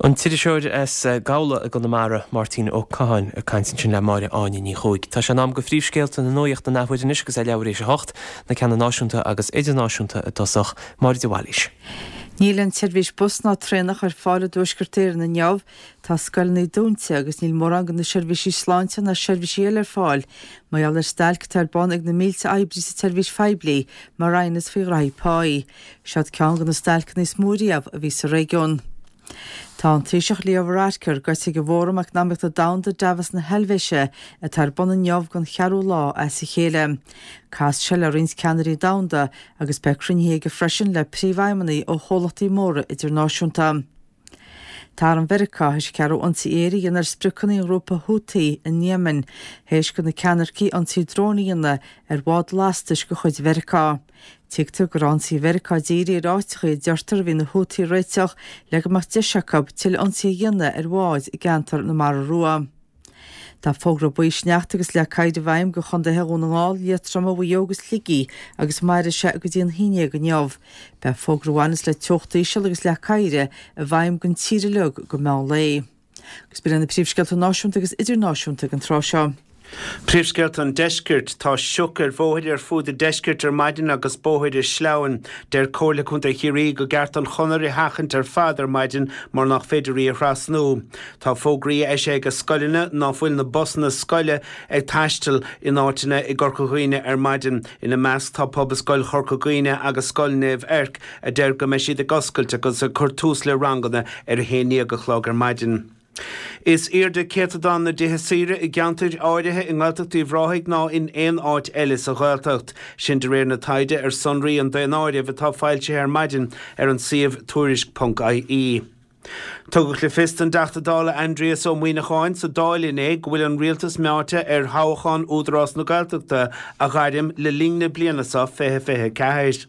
An t-iriseoir as Gabhla i gConamara, Máirtín Ó Catháin, ag caint ansin le Máire Áine Ní Chuaig. Tá sé in am do phríomhscéalta na nuachta an athuair anois agus é leathuair éis a hocht, na ceanna náisiúnta agus idirnáisiúnta i dtosach. Máire de Bhailís. Níl aon tseirbhís bus ná traenach ar fáil i dTuaisceart Éireann inniu. Tá scoileanna dúnta agus níl mórán de na seirbhísí sláinte ná seirbhísí eile ar fáil mar gheall ar stailc atá ar bun ag na mílte oibrí sa tseirbhís phoiblí mar aighneas faoi ghraithí páí. Seod ceann de na stailceanna is mó riamh a bhí sa réigiún. Tá an Taoiseach Leo Varadkar gaibhte ag an bhFóram Eacnamaíochta Domhanda Davos na hEilvéise atá ar bun inniu don cheathrú lá as a chéile. Casfaidh sé le roinnt ceannairí domhanda agus beidh cruinnithe aige freisin le príomhfheidhmeannaigh ó chomhlachtaí móra idirnáisiúnta. Tá arm Mheiriceá théis a cheathrú ionsaí aeir a dhéanamh ar spriocanna an ghrúpa Houthi in Yemen théis do na ceannaircigh ionsaí dróin a dhéanamh ar bhád lastais de chuid Mheiriceá. Tuigtear go raibh ionsaí Mheiriceá dírithe ar áiteacha a deirtear a bhí na Houthi ag réiteach le go mbeadh deis acu tuilleadh ionsaí a dhéanamh ar bháid i gceantar na Mara Rua. Tá fógra buí sneachta agus leac oighir i bhfeidhm do chontaetha Dhún na nGall, Liatroma, Mhaigh Eo agus Shligigh agus mairfidh sé go dtí an haon déag inniu. Beidh fógra a bhaineas le teocht íseal agus leac oighir i bhfeidhm don tír uilig go meán lae. Agus b'in iad na príomhscéalta náisiúnta agus idirnáisiúnta ag an tráth seo. Príomhscéalta an Deiscirt, Tá sioc ar bhóithre ar fuaid an deiscirt ar maidin agus bóithre sleamhain. Deir Comhairle Contae Chiarraí go gceart an chonair a sheachaint ar fad ar maidin mar nach féidir í a thrasnú. Tá fógraí eisithe ag scoileanna ná fuil na busanna scoile ag taisteal in áiteanna i gCorca Dhuibhne ar maidin. Ina measc tá Pobalscoil Chorca Dhuibhne agus Scoil Naomh Eirc a deir go mbeidh siad ag oscailt agus ag cur tús le ranganna ar a haon déag a chlog ar maidin. Is airde céatadán na dtithe saoire i gceantair áirithe i nGaeltacht Uíbh Ráthaigh ná in aon áit eile sa Ghaeltacht. Sin de réir na taighde ar sonraí an daonáirimh atá foilsithe ar maidin ar an suíomh tuairisc ponc ie. Tugadh le fios don dTeachta Dála Aindrias Ó Muimhneacháin sa Dáil inné go bhfuil an Rialtas meáite ar thoghchán Údarás na Gaeltachta a ghairm le linn na bliana seo fiche fiche ceathair.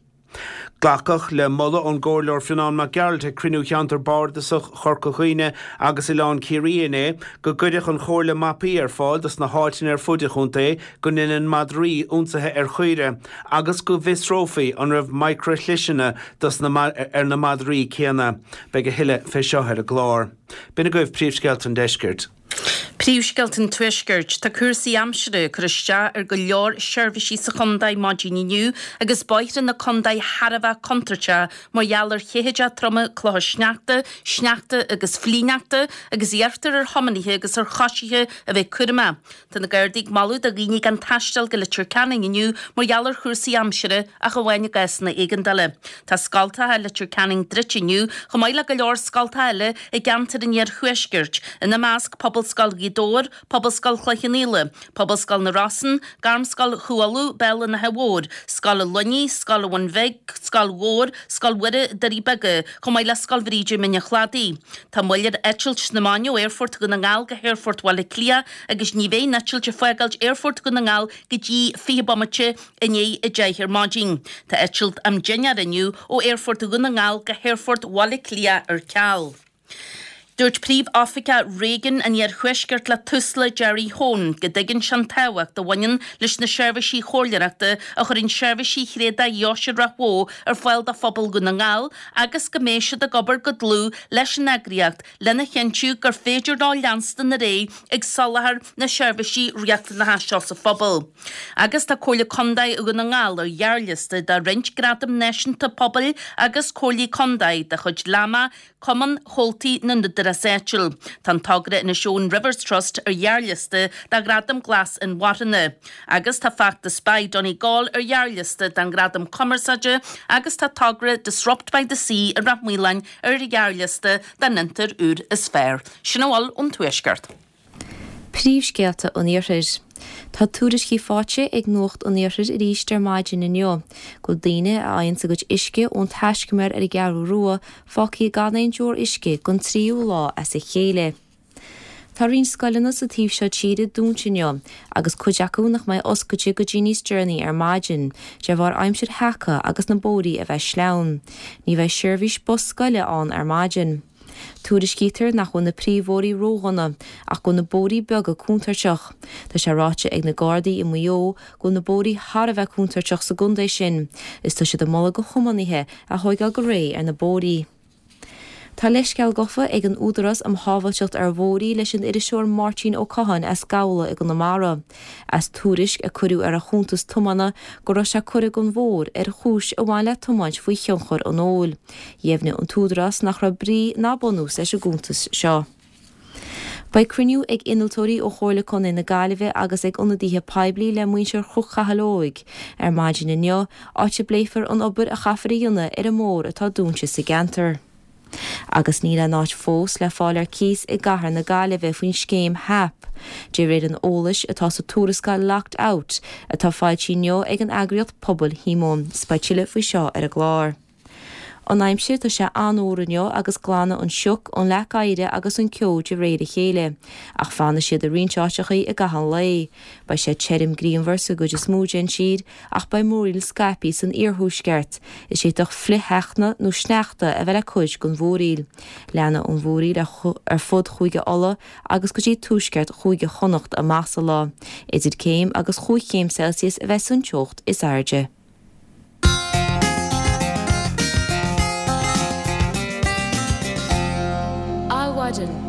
Glacadh le moladh ón gComhairleoir Fionnán Mac Gearailt ag cruinniú Cheantar Bardasach Chorca Dhuibhne agus Oileán Ciarraí inné go gcuirfeadh an Chomhairle mapaí ar fáil dos na háiteanna ar fuid an chontae go ndeineann madraí ionsaithe ar chaoire agus go bhfiosrófaí an raibh micreashliseanna dos na ar na madraí céanna. Beidh a thuilleadh fé seo ar an gclár. B'in agaibh príomhscéalta an deiscirt. Príomhscéalta an Tuaiscirt, Tá cúrsaí aimsire ag cur isteach ar go leor seirbhísí sa chontae maidin inniu agus bóithre na contae thar a bheith contúirteach mar gheall ar cheathaide troma clocha sneachta, sneachta agus flichshneachta agus iarrtar ar thiománaithe agus ar choisithe a bheith cúramach. Tá na Gardaí ag moladh do dhaoine gan taisteal go Leitir Ceanainn inniu mar gheall ar chúrsaí aimsire ach amháin i gcásanna éigeandála. Tá scoltacha Leitir Ceanainn druidte inniu chomh maith le go leor scoltacha eile i gceantar an Iarthuaiscirt, ina measc Pobalscoil Ghaoth Dobhair, Pobalscoil Chloich Cheann Fhaola, Pobalscoil na Rosann, Gairmscoil Chú Uladh, Béal an Átha Mhóir, Scoil an Luinnigh, Scoil an Bhun Bhig, Scoil Mhór, Scoil Mhuire, Doirí Beaga, chomh maith le Scoil Bhríde, Mín an Chladaigh. Tá moill ar eitilt na maidine ó Aerfort Dhún na nGall go hAerfort Bhaile Átha Cliath agus ní bheidh an eitilt ag fágáilt Aerfort Dhún na nGall go dtí fiche bomaite i ndiaidh a deich ar maidin. Tá eitilt am dinnéar inniu ó Aerfort Dhún na nGall go hAerfort Bhaile Átha Cliath ar ceal. Dúirt Príomh-Oifigeach Réigiún an Iarthuaiscirt le Tusla Jerry Hone go dtuigeann sé an tábhacht a bhaineann leis na seirbhísí comhairleoireachta a chuireann Seirbhísí Thréadach Dheoise Ráth Bhoth ar fáil do phobal Dhún na nGall agus go mbeidh siad ag obair go dlúth leis an eagraíocht lena chinntiú gur féidir leo leanstan ar aghaidh ag soláthar na seirbhísí riachtanacha seo sa phobal. Agus tá Comhairle Contae Dhún na nGall ar ghearrliosta do roinnt gradam náisiúnta pobail agus comhairlí contae de chuid LAMA, Cumann Chomhaltaí na nÚdarás Áitiúil. Tá an togra Inishowen Rivers Trust ar ghearrliosta do Ghradam Glas Inmharthana. Agus tá feachtas Buy Donegal ar ghearrliosta don Ghradam Cumarsáide agus tá togra Disrupt by the Sea i Rath Maoláin ar ghearrliosta don fhiontar úr is fearr. Sin a bhfuil ón Tuaisceart. Príomhscéalta an Iarthair. Tá tuairiscí faighte ag Nuacht an Iarthair arís ar maidin inniu go bhfuil daoine a fhaigheann a gcuid uisce ón taiscumar ar an gCeathrú Rua fágtha gan aon deoir uisce don tríú lá as a chéile. Tá roinnt scoileanna sa taobh seo tíre dúnta inniu agus cuid acu nach mbeidh oscailte go dtí níos deireanaí ar maidin, de bharr aimsir sheaca agus na bóithre a bheith sleamhain. Ní bheidh seirbhís bus scoile ann ar maidin. Tuairiscítear nach bhfuil na príomhbhóithre ródhona, ach go bhfuil na bóithre beaga contúirteach. Tá sé ráite ag na Gardaí i Maigh Eo go bhfuil na bóithre thar a bheith contúirteach sa gcontae sin, is tá siad ag moladh do thiománaithe a thógáil go réidh ar na bóithre. Tá leithscéal gafa ag an Údarás um Shábháilteacht ar Bhóithre leis an iriseoir Máirtín Ó Catháin as Gabhla i gConamara, as tuairisc a cuireadh ar a chuntas tiomána go raibh sé curtha den bhóthar ar chúis a bhain le tiomáint faoi thionchar an óil. Dheimhnigh an tÚdarás nach raibh brí ná bunús leis an gcuntas seo. Beidh cruinniú ag innealtóirí ó Chomhairle Contae na Gaillimhe agus ag ionadaithe poiblí le muintir Chnoc Chathail Óig ar maidin inniu, áit a bpléifear an obair a chaithfear a dhéanamh ar an mbóthar atá dúnta sa gceantar. Agus níl aon áit fós le fáil ar cíos i gcathair na Gaillimhe faoin scéim HAP, de réir an eolais atá sa tuarascáil Locked Out atá foilsithe inniu ag an eagraíocht pobail Shíomóin. 'S beidh tuilleadh faoi seo ar an gclár. An aimsir, tá sé an-fhuar inniu agus glanfaidh an sioc, an leac oighir agus an ceo de réir a chéile, ach fanfaidh siad i roinnt áiteachaí i gcaitheamh an lae. Beidh sé tirim grianmhar sa gcuid is mó den tír ach beidh múraíl scaipthe san iarthuaisceart, is d'fhéadfadh flichshneachta nó sneachta a bheith le cuid den mhúraíl. Leanfaidh an mhúraíl ar fud Chúige Uladh agus go dtí tuaisceart Chúige Chonnacht amach sa lá. Idir céim agus chúig chéim Celsius a bheas an teocht is airde. Adhmhaidin.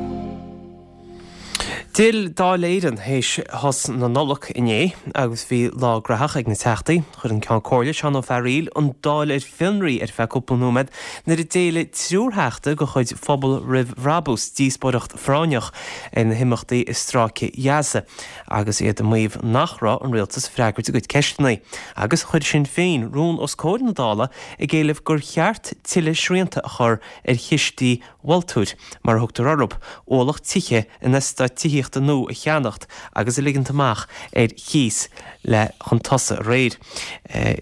D'fhill Dáil Éireann théis shos na Nollag inné agus bhí lá graitheach ag na Teachtaí. Chuir an Ceann Comhairle, Seán Ó Fearaíl, an Dáil ar fionraí ar feadh cúpla nóiméad nuair a d'éiligh triúr Theachta de chuid Phobal Roimh Bhrabús díospóireacht phráinneach ar na himeachtaí i Stráice Ghaza agus iad ag maíomh nach raibh an rialtas ag freagairt a gcuid ceisteanna. Agus chuir Sinn Féin rún os comhair na Dála ag éileamh gur cheart tuilleadh srianta a chur ar chistí vultúir, mar a thugtar orthu, ualach tithe in eastáit tithíochta nua a cheannacht agus a ligint amach ar chíos le chun tosaigh aréir.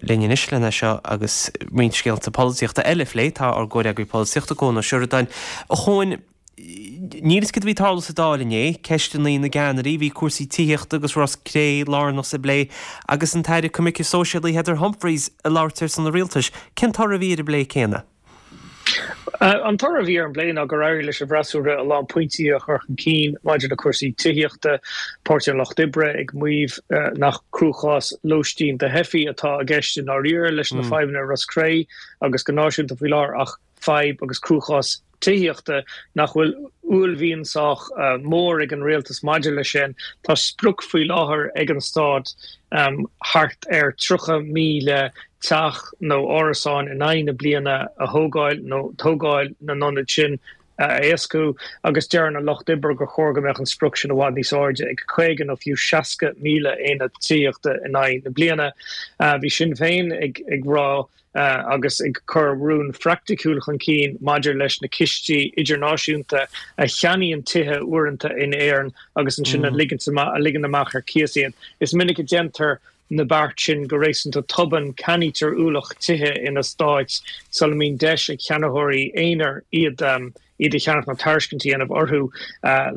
Linn anois lena seo agus roinnt scéalta polaitíochta eile a phlé, tá ár gcomhfhreagraí polaitíochta, Cuan Ó Seireadáin. A Chuain, níl 'fhios cad a bhí ag tarlú sa Dáil inné, ceisteanna na gceannairí, bhí cúrsaí tithíochta agus Ros Cré lárnach sa bplé agus an tAire Coimirce Sóisialaí Heather Humphreys ag labhairt ar son an rialtais. Cén toradh a bhí ar an bplé céanna? An toradh a bhí ar an bplé ná gur éirigh leis an bhfreasúra a lán pointí a chur chun cinn maidir le cúrsaí tithíochta, Páirtí an Lucht Oibre ag maíomh nach cruachás lóistín do theifigh atá i gceist i ndáiríre leis na fadhbanna i Ros Cré agus go náisiúnta faoi láthair ach fadhb agus cruachás tithíochta, nach bhfuil uaillmhian sách mór ag an rialtas maidir leis sin. Tá sprioc faoi láthair ag an stát thart ar tríocha míle teach nó árasán in aghaidh na bliana a thógáil nó tógáil na n-ionad sin a éascú agus deireann an Lucht Oibre gur chóir go mbeadh an sprioc sin i bhfad níos airde, ag caoga nó fiú seasca míle aonad tithíochta in aghaidh na bliana. Bhí Sinn Féin ag rá agus ag cur rún phraiticiúil chun cinn maidir leis na cistí idirnáisiúnta a cheannaíonn tithe uaireanta in Éirinn agus ansin a ligean amach ar cíos iad. Is minic a déantar na beart sin go réasúnta tobann, ceannaítear ualach tithe in eastáit sula mbíonn deis ag ceannaitheoirí aonair iad iad a cheannach nó tairiscint a dhéanamh orthu.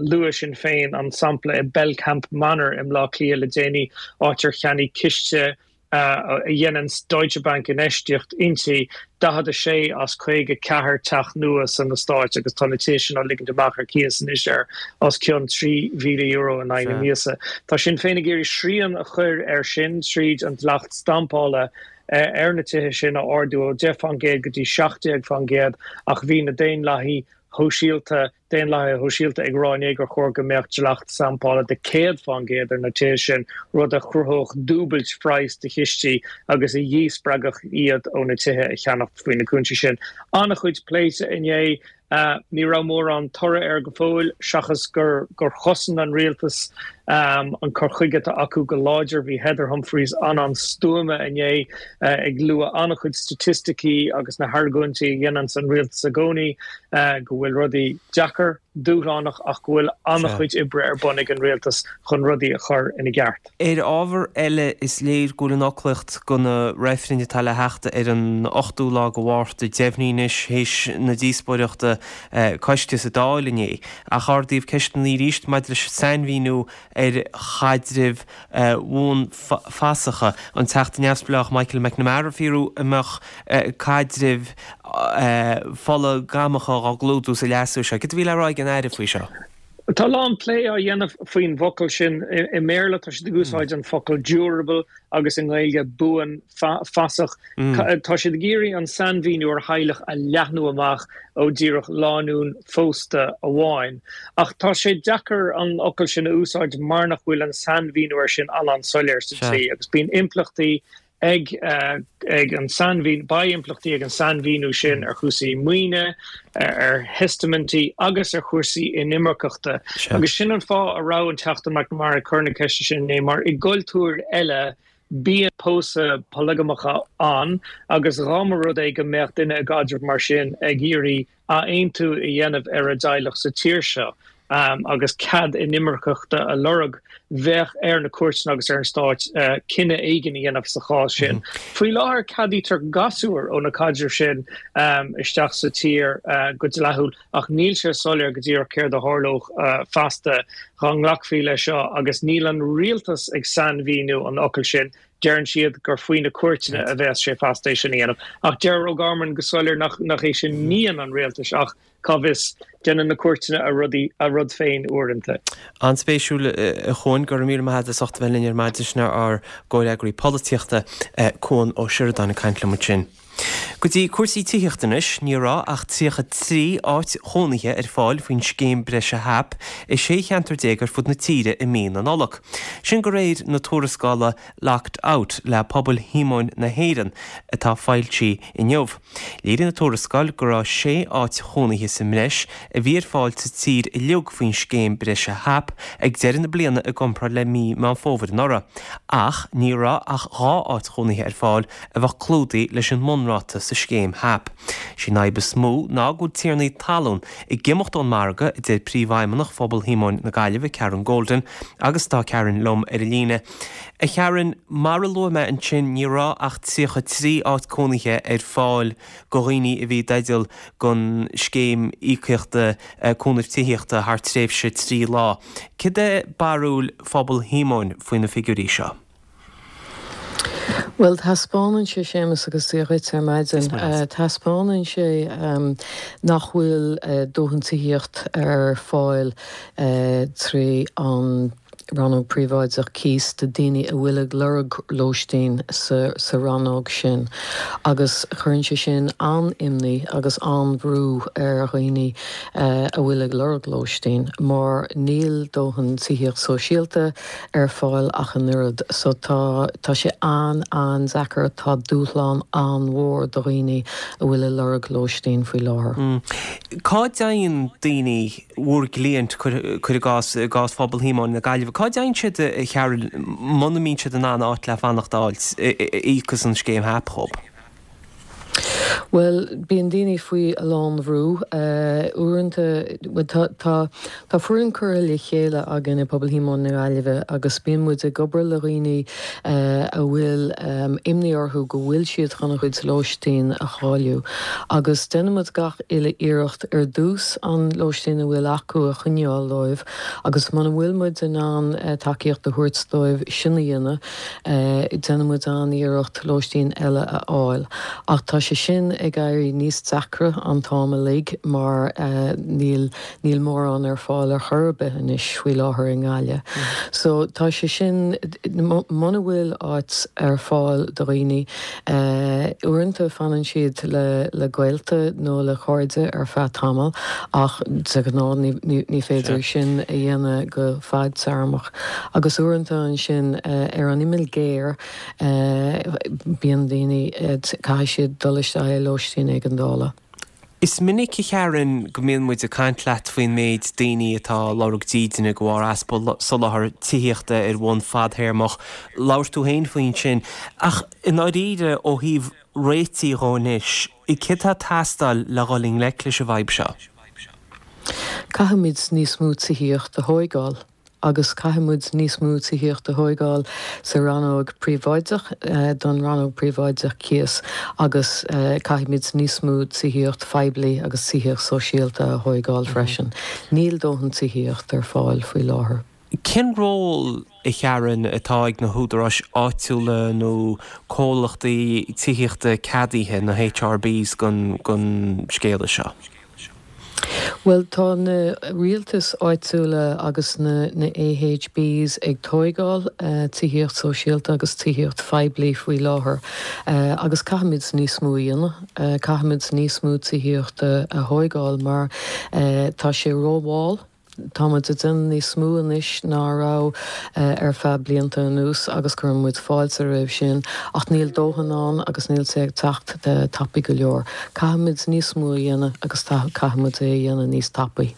Luaigh Sinn Féin an sampla i Belcamp Manor i mBleá Cliath le déanaí, áit ar cheannaigh ciste a dhéanann Deutsche Bank infheistíocht inti, daichead a sé as caoga ceathair teach nua san eastát agus tá na tithe sin á ligint amach ar cíos anois ar os cionn trí mhíle euro in aghaidh na míosa. Tá Sinn Féin ag iarraidh srian a chur air sin tríd an dleacht stampála ar na tithe sin a ardú ó deich faoin gcéad go dtí seacht déag faoin gcéad ach bhí na Daonlathaithe Shóisialta, Daonlathaithe Shóisialta ag rá inné gur chóir go mbeadh dleacht stampála de céad faoin gcéad ar na tithe sin, rud a chruthódh dúbailt phraghas do chistí agus a dhíspreagfadh iad ó na tithe a cheannacht faoi na cúinsí sin. An-chuid pléite inné. Ní raibh mórán toradh air go fóill, seachas gur gur chosain an rialtas an cur chuige atá acu go láidir. Bhí Heather Humphreys an-an-stuama inné, ag lua an-chuid staitisticí agus na hargóintí a dhéananns an rialtas i gcónaí, go bhfuil rudaí deacair, dúshlánach ach go bhfuil an-chuid oibre ar bun ag an rialtas chun rudaí a chur ina gceart. Ar ábhar eile, is léir go bhfuil an fhoclaíocht do na reifrinn atá le theacht ar an ochtú lá de Mhárta deimhnithe anois théis na díospóireachta coiste sa Dáil inné, ach ardaíodh ceisteanna arís maidir leis an sainmhíniú ar chaidrimh bhuanfhasacha. An Teachta Neamhspleách Michael McNamara ag fiafraí an mbeadh caidrimh pholagamacha á gclúdú sa leasú seo. Cad a bhí le rá ag an Aire faoi seo? Tá a lán plé á dhéanamh faoin bhfocal sin. I mBéarla tá siad ag úsáid an focal durable agus i nGaeilge buanfasach. Tá siad ag iarraidh an sainmhíniú ar theaghlach a leathnú amach ó díreach lánúin phósta amháin. Ach tá sé deacair an fhocal sin a úsáid mar nach bhfuil an sainmhíniú air sin an-an-soiléir sa dlí agus bíonn impleachtaí ag ag an sainmhín, beidh impleachtaí ag an sainmhíniú sin ar chúrsaí maoine, ar theistaimintí agus ar chúrsaí inimirceachta. Agus sin an fáth a raibh an Teachta McNamara ag cur na ceiste sin inné, mar i gcultúir eile bíonn pósadh polagamach ann agus dhá mba rud é go mbeadh duine i gcaidreamh mar sin ag iarraidh athaontú a dhéanamh ar a dteaghlach sa tír seo agus cead inimirceachta a lorg, bheadh ar na cúirteanna agus ar an Stát cinneadh éigin a dhéanamh sa chás sin. Faoi láthair ceadaítear gasúir ó na caidrimh sin isteach sa tír go dleathúil ach níl sé soiléir go díreach céard a tharlódh feasta dhá nglacfaí leis seo agus níl an rialtas ag sainmhíniú an fhocail sin. Deireann siad gur faoi na cúirteanna a bheas sé feasta é sin a dhéanamh. Ach deir O'Gorman go soiléir nach é sin mian an rialtais ach, cá bhfios, déanann na cúirteanna a rudaí, a rud féin uaireanta. An-spéisiúil, a Chuain. Go raibh míle maith agat as ucht a bheith linn ar maidin. Sin ár gcomhfhreagraí polaitíochta, Cuan Ó Seireadáin ag caint liom ansin. Go dtí cúrsaí tithíochta anois, ní raibh ach tríocha trí áit chónaithe ar fáil faoin scéim breise HAP i sé cheantar déag ar fud na tíre i mí na Nollag. Sin de réir na tuarascála Locked Out le Pobal Shíomóin na hÉireann atá foilsithe inniu. Léirigh an tuarascáil go raibh sé áit chónaithe sa mbreis a bhí ar fáil sa tír uilig faoin scéim breise HAP ag deireadh na bliana i gcomparáid le mí Meán Fómhair anuraidh. Ach ní raibh ach dhá áit chónaithe ar fáil a bheadh clúdaithe leis an mbunráta sa scéim HAP. Is í an fhadhb is mó ná go bhfuil tiarnaí talún ag imeacht ón margadh, a deir Príomhfheidhmeannach Phobal Shíomóin na Gaillimhe, Karen Golden, agus tá Karen liom ar an líne. A Karen, mar a luaigh mé ansin, ní raibh ach tríocha trí áit cónaithe ar fáil do dhaoine a bhí i dteideal don scéim íocaíochta cúnaimh tithíochta thar tréimhse trí lá. Cad é barúil Phobal Shíomóin faoi na figiúirí seo? Bhuel, taispeánann sé, Séamus, agus Dia dhuit ar maidin, taispeánann sé nach bhfuil dóthain tithíocht ar fáil trí an rannóg príobháideach cíos do daoine a bhfuil ag lorg lóistín sa rannóg sin agus cuireann sé sin an-imní agus an-bhrú ar dhaoine a bhfuil ag lorg lóistín mar níl dóthain tithíocht sóisialta ar fáil ach an oiread. So tá tá sé an-an-deacair, tá dúshlán an-mhór do dhaoine a bhfuil ag lorg lóistín faoi láthair. Cá dtéann daoine, bhur gcliaint, cuir i gcás, i gcás Phobal Shíomóin na Gaillimhe, cá dtéann siad, a Karen, muna mbíonn siad in ann áit le fanacht a fháilt a íocfas an scéim HAP dhóibh? Bhuel, bíonn daoine faoi a lán bhrú. Uaireanta, bhuel tá, tá, tá foireann curtha le chéile againn i bPobal Shíomóin na Gaillimhe agus bíonn muid ag obair le dhaoine a bhfuil imní orthu go bhfuil siad chun a gcuid lóistín a chailleadh. Agus déanann muid gach uile iarracht ar dtús an lóistín a bhfuil acu a choinneáil dóibh agus muna bhfuil muid in ann tacaíocht a thabhairt dóibh sin a dhéanamh, déanann muid an-iarracht lóistín eile a fháil. Ach tá sé sin ag éirí níos deacra an t-am uilig mar níl níl mórán ar fáil ar chor ar bith anois faoi láthair i nGaillimh. So tá sé sin, muna bhfuil áit ar fáil do dhaoine, uaireanta fanann siad le le gaolta nó le cairde ar feadh tamaill ach de ghnáth ní ní féidir sin a dhéanamh go fadtéarmach. Agus uaireanta ansin ar an imeall géar, Bíonn daoine, caithfidh siad dul isteach i lóistín éigeandála. Is minic, a Sharon, go mbíonn muid ag caint leat faoin méid daoine atá ag lorg dídine de bharr easpa soláthar tithíochta ar bhonn fadthéarmach. Labhair tú féin faoi ansin. Ach i ndáiríre, ó thaobh réitigh dhó anois, céard atá ag teastáil le dhul i ngleic leis an bhfadhb seo? Caithfimid níos mó tithíocht a thóigeáil. agus caithfidh muid níos mó tithíocht a thóigeáil sa rannóg príobháideach, don rannóg príobháideach cíos agus caithfimid níos mó tithíocht phoiblí agus tithíocht sóisialta a thóigeáil freisin. Níl dóthain tithíocht ar fáil faoi láthair. Cén ról, a Sharon, atá ag na húdaráis áitiúla nó comhlachtaí tithíochta ceadaithe, na HRBs, don scéala seo? Bhuel, tá na rialtais áitiúla agus na na AHBs ag tóigeáil tithíocht sóisialta agus tithíocht phoiblí faoi láthair agus caithfimid níos mó a dhéanamh. Caithfimid níos mó tithíochta a thóigeáil mar tá sé rómhall. Tá muid ag déanamh níos mó anois ná a raibh ar feadh blianta anuas agus cuireann muid fáilte roimh sin ach níl dóthain ann agus níl sé ag teacht tapaidh go leor. Caithfimid níos mó a dhéanamh agus caithfimid é a dhéanamh níos tapaí.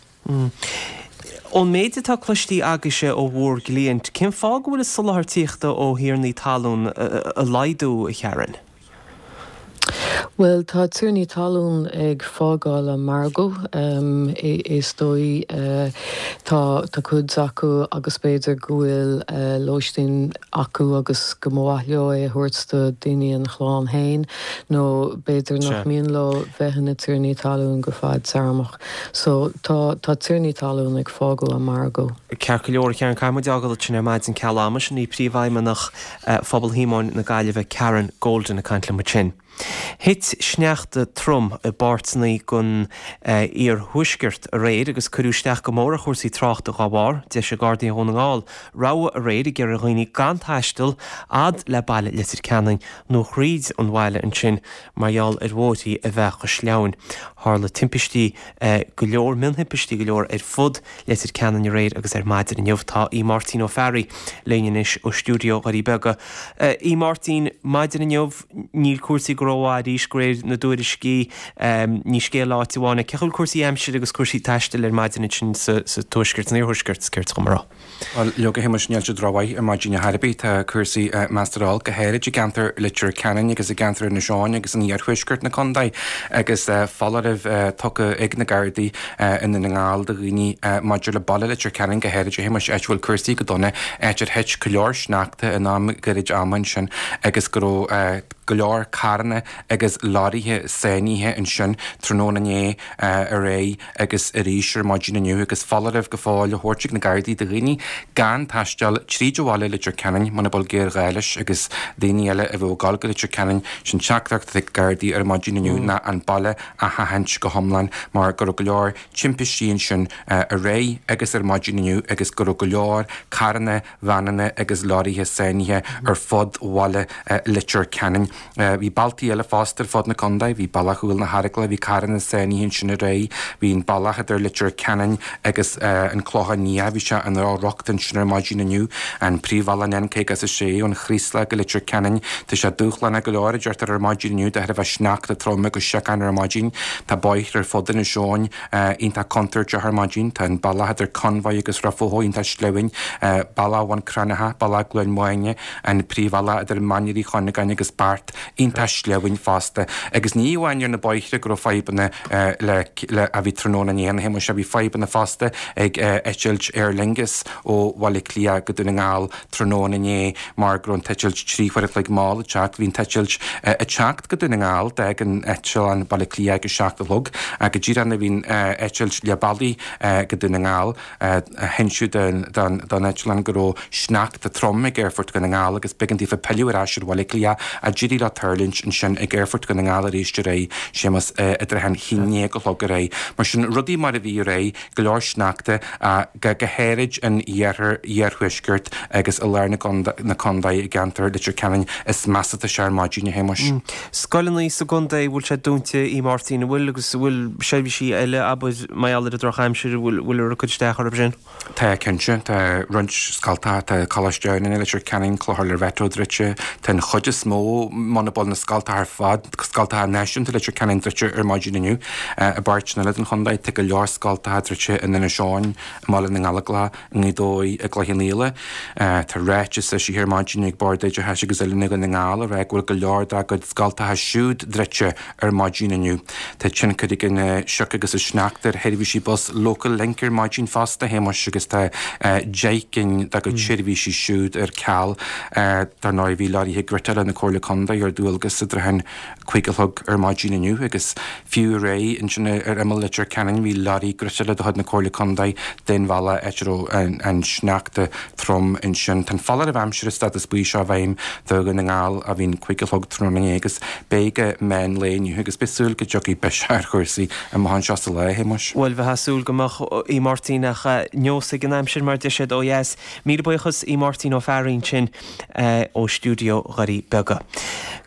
Ón méid atá cloistí agaibhse ó bhur gcliaint, cén fáth go bhfuil an soláthar tithíochta ó thiarnaí talún ag laghdú, a Sharon? Bhuel, tá tiarnaí talún ag fágáil an margadh, is dóigh. Tá tá cuid acu agus b'fhéidir go bhfuil lóistín acu agus go mba mhaith leo é a thabhairt do daoine ina chlann féin nó b'fhéidir nach mian leo bheith ina tiarnaí talún go fadtéarmach. So tá tá tiarnaí talún ag fágáil an margadh. Ceart go leor, a Sharon, caithfidh muid fhágáil ansin ar maidin ceal ama. Sin í Príomhfheidhmeannach Phobal Shíomóin na Gaillimhe, Karen Golden ag caint liom ansin. Thit sneachta trom i bpáirteanna den iarthuaisceart aréir agus cuireadh isteach go mór ar chúrsaí tráchta dá bharr. D'eisigh Gardaí Dhún na nGall rabhadh aréir ag iarraidh ar dhaoine gan taisteal fhad le baile Leitir Ceanainn nó thríd an bhaile ansin mar gheall ar bhóithrí a bheith chomh sleamhain. Tharla timpistí go leor, mionthimpistí go leor ar fud Leitir Ceanainn aréir agus ar maidin inniu. Tá Aodh Máirtín Ó Fearraigh linn anois ó stiúideo Dhoirí Beaga. Aodh Máirtín, maidin inniu níl cúrsaí go rómhaith arís de réir na dtuairiscí. Ní scéal áite amháin é. Cén chaoi a bhfuil cúrsaí aimsire agus cúrsaí taistil ar maidin ansin sa tuaisceart, san iarthuaisceart, is ceart dom a rá? Bhuel, leoga, a Shéamuis, níl siad rómhaith ar maidin ar chor ar bith. Tá cúrsaí measartha olc, go háirid i gceantar Leitir Ceanainn agus i gceantar Inis Eoghain agus in iarthuaisceart na contae agus foláireamh tugtha ag na Gardaí i nDún na nGall do dhaoine maidir le baile Leitir Ceanainn go háirid, a Shéamuis, áit a bhfuil cúrsaí go dona, áit ar thit go leor sneachta in am gairid ama ansin agus go raibh go leor carranna agus leoraithe sáinnithe ansin tráthnóna inné aréir agus arís ar maidin inniu agus foláireamh go fóill á thabhairt ag na Gardaí do dhaoine gan taisteal tríd an bhaile Leitir Ceanainn muna bhfuil géarghá leis agus daoine eile a bheadh ag dul go Leitir Ceanainn sin teachtaireacht ag Gardaí ar maidin inniu ná an baile a sheachaint go hiomlán mar go raibh go leor timpistí ansin aréir agus ar maidin inniu agus go raibh go leor carranna, veaineanna agus leoraithe sáinnithe ar fud bhaile Leitir Ceanainn. Bhí bealtaí eile fosta ar fud na contae, bhí bealach Chúil na hEaragla, bhí carranna sáinnithe ansin aréir, bhí an bealach idir Leitir Ceanainn agus an Clochán Liath, bhí sé i ndroch-riocht ansin ar maidin inniu, an príomhbhealach an N caoga is a sé ón Chraoslach go Leitir Ceanainn, tá sé dúshlánach go leor a deirtear ar maidin inniu de thairbhe sneachta trom agus siocán ar maidin, tá bóithre ar fud Inis Eoghain iontach contúirteach ar maidin, tá an bealach idir Conmhaigh agus Ráth Bhoth iontach sleamhain, bealach Bhun Cranncha, bealach Ghleann Mháine, an príomhbhealach idir Mainír Uí Chuinneagáin agus Beart. thart, iontach sleamhain fosta. Agus ní amháin ar na bóithre go raibh fadhbanna le le a bhí tráthnóna inné, a Shéamuis, bhí fadhbanna fosta ag eitilt Aer Lingus ó Bhaile Átha Cliath go Dún na nGall tráthnóna inné mar go raibh an t-eitilt trí huaire a chloig mall ag teacht. Bhí an t-eitilt ag teacht go Dún na nGall, d'fhág an eitleán Baile Átha Cliath ag a seacht a chlog ach go díreach nuair a bhí an eitilt leath bealaigh go Dún na nGall, hinseadh don eitleán go raibh sneachta trom ag Aerfort Dhún na nGall agus b'éigean daofa pilleadh ar ais ar Bhaile Átha Cliath ach d'éirigh leo tuirlingt ansin ag Aerfort Dhún na nGall arís aréir, Séamus, i dtrátha an haon déag a chlog aréir. Mar sin, rudaí mar a bhí aréir, go leor sneachta, go háirid in iarthar, iarthuaisceart agus i lár na contae i gceantar Leitir Ceanainn is measa atá sé ar maidin, a Shéamuis. Scoileanna sa gcontae, bhfuil sé dúnta, a Mháirtín, an bhfuil agus an bhfuil seirbhísí eile, abair, mar gheall ar an drochaimsir, an bhfuil bhfuil ag cur isteach orthu sin? Tá, cinnte. Tá roinnt scoltacha, tá Coláiste Adhamhnáin i Leitir Ceanainn, Clochar Loreto druidte, tá an chuid is mó, muna bhfuil na scoltacha ar fad, scoltacha náisiúnta Leitir Ceanainn druidte ar maidin inniu. I bpáirteanna eile den chontae, tá go leor scoltacha druidte in Inis Eoghain, i mBaile na nGallóglach, i nGaoth Dobhair, i gCloich Cheann Fhaola. Tá ráiteas eisithe ar maidin ag Bord Oideachais agus Oiliúna Dhún na nGall ag rá go bhfuil go leor dá gcuid scoltacha siúd druidte ar maidin inniu. Tá tionchar ag an sioc agus an sneachta ar sheirbhísí bus Local Link ar maidin fosta, a Shéamuis, agus tá deich gcinn dá gcuid seirbhísí siúd ar ceal. Dar ndóigh, bhí leoraithe griotála na Comhairle Contae ar dualgas i dtrátha an cúig a chlog ar maidin inniu agus fiú aréir ansin ar imeall Leitir Ceanainn bhí leoraí griotála de chuid na Comhairle Contae den bhealach áit a raibh an sneachta trom ansin. Tá an foláireamh aimsire stádas buí seo i bhfeidhm do Dhún na nGall ó bhí an cúig a chlog tráthnóna inné agus beidh go meán lae inniu agus beidh súil go dtiocfaidh biseach ar chúrsaí amach anseo sa lá, a Shéamuis. Bhuel, bheifeá ag súil go mbeadh, a Mháirtín, ach neosfaidh an aimsir mar a deir siad ó dheas. Míle buíochas a Mháirtín Ó Fearraigh ansin ó stiúideo Dhoirí Beaga.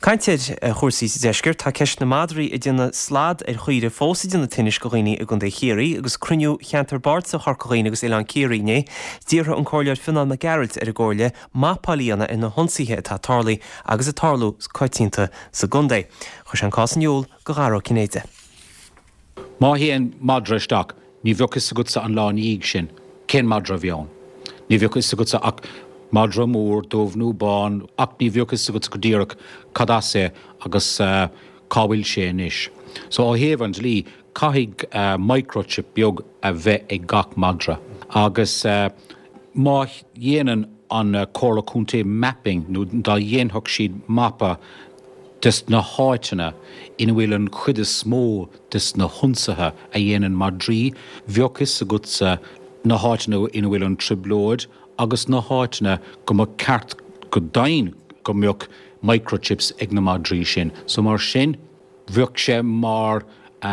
Caint ar chúrsaí sa deisceart, tá ceist na madraí ag déanamh slad ar chaoirigh fós ag déanamh tinnis go dhaoine i gContae Chiarraí agus cruinniú Cheantar Bardasach Chorca Dhuibhne agus Oileán Ciarraí inné. D'iarr an Comhairleoir Fionán Mac Gearailt ar an gComhairle mapáil a dhéanamh ar na hionsaithe atá tarlaithe agus ag tarlú coitianta sa gcontae. Chuir sé an cás in iúl go Dara Ó Cinnéide. Má théann madra isteach, ní bheadh fhios agatsa an lá ina dhiaidh sin cén madra a bhí ann. Ní bheadh fhios agatsa ach madra mór, dubh nó bán, ach ní bheadh fhios agatsa go díreach cad as é agus cá bhfuil sé anois. So ó thaobh an dlí, caithfidh microchip beag a bheith ag gach madra. Agus má dhéanann an Comhairle Contae mapping, nó dá dhéanfadh siad mapa des na háiteanna ina bhfuil an chuid is mó des na hionsaithe a dhéanann madraí, bheadh fhios agatsa na háiteanna ina bhfuil an trioblóid agus na háiteanna go mba ceart go deimhin go mbeadh microchips ag na madraí sin. So mar sin, bheadh sé mar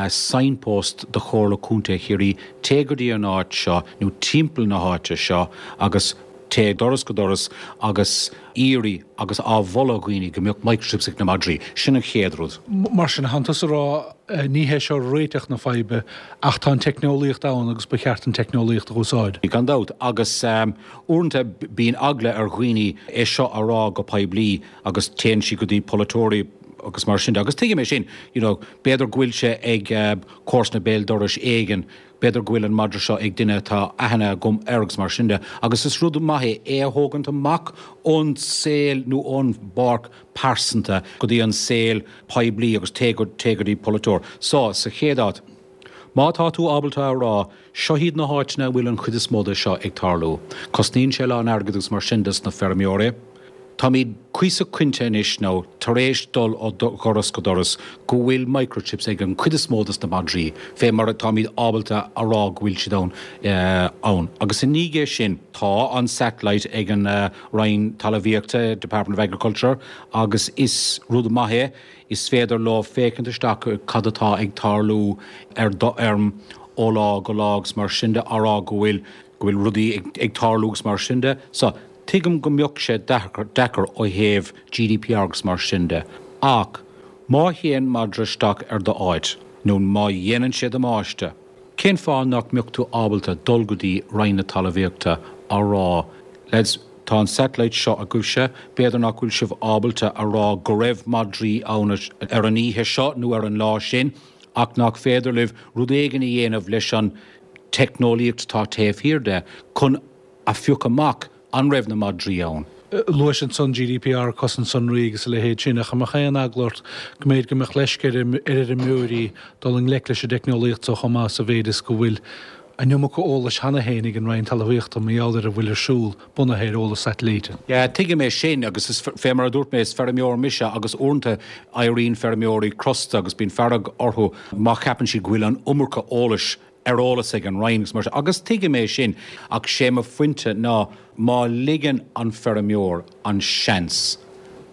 signpost do Chomhairle Contae Chiarraí, téigh go dtí an áit seo nó timpeall na háite seo agus téigh doras go doras agus iarraidh agus á mholadh dhaoine go mbeadh microchips ag na madraí. Sin an chéad rud. Mar sin, tánn tusa ag rá, ní hé seo réiteach na faidhbe ach tá an teicneolaíocht ann agus ba cheart an teicneolaíocht a úsáid. Gan dabht. Agus uaireanta bíonn eagla ar dhaoine é seo a rá go poiblí agus téann siad go dtí polaiteoirí agus mar sin de. Agus tuigim é sin, you know, b'fhéidir go bhfuil sé ag comharsana béal dorais éigin, b'fhéidir go bhfuil an madra seo ag duine atá aithne agam air agus mar sin de. Agus is rud maith é é a thógaint amach ón saol nó ón bpáirc pearsanta go dtí an saol poiblí agus téigh go dtí polaiteoir. So, sa chéad áit, má tá tú ábalta a rá, seo iad na háiteanna a bhfuil an chuid is mó de seo ag tarlú. Cosnaíonn sé a lán airgid agus mar sin dos na feirmeoirí. Táimid cuíosach cinnte anois nó tar éis dul ó dhoras go doras go bhfuil microchips ag an chuid is mó dos na madraí, fé mar atáimid ábalta a rá go bhfuil siad ann ann. Agus i ndiaidh é sin, tá an satellite ag an Roinn Talmhaíochta, Department of Agriculture, agus is rud maith é, is féidir leo féachaint isteach cad atá ag tarlú ar do fheirm ó lá go lá agus mar sin de, á rá go bhfuil go bhfuil rudaí ag tarlú agus mar sin de. So, tuigim go mbeadh sé deacair ó thaobh GDPR agus mar sin de, ach má théann madra isteach ar do áit, nó má dhéanann sé damáiste, cén fáth nach mbeadh tú ábalta dul go dtí Roinn na Talmhaíochta á rá, lads, tá an satellite seo agaibhse, b'fhéidir nach bhfuil sibh ábalta a rá go raibh madraí ann ar an oíche seo nó ar an lá sin, ach nach féidir libh rud éigin a dhéanamh leis an teicneolaíocht atá taobh thiar de chun a phiocadh amach an raibh na madraí ann. Luais ansan GDPR, cosaint sonraí agus a leithéid sin, ach an mbeadh aon eagla ort go mb'fhéidir go mbeadh leisce ar fheirmeoirí dul i ngleic leis an dteicneolaíocht so chomh maith sa mhéid is go bhfuil an iomarca eolais cheana féin ag an Roinn Talmhaíochta mar gheall ar a bhfuil ar siúl bunaithe ar eolas satailíte. Yeah, tuigim é sin agus is fé mar a dúirt mé, is feirmeoir mise agus uaireanta éiríonn feirmeoirí crosta agus bíonn fearg orthu má cheapann siad go bhfuil an iomarca eolais ar eolas ag an Roinn agus mar sin agus tuigim é sin ach sé mo phointe ná má ligeann an feirmeoir an seans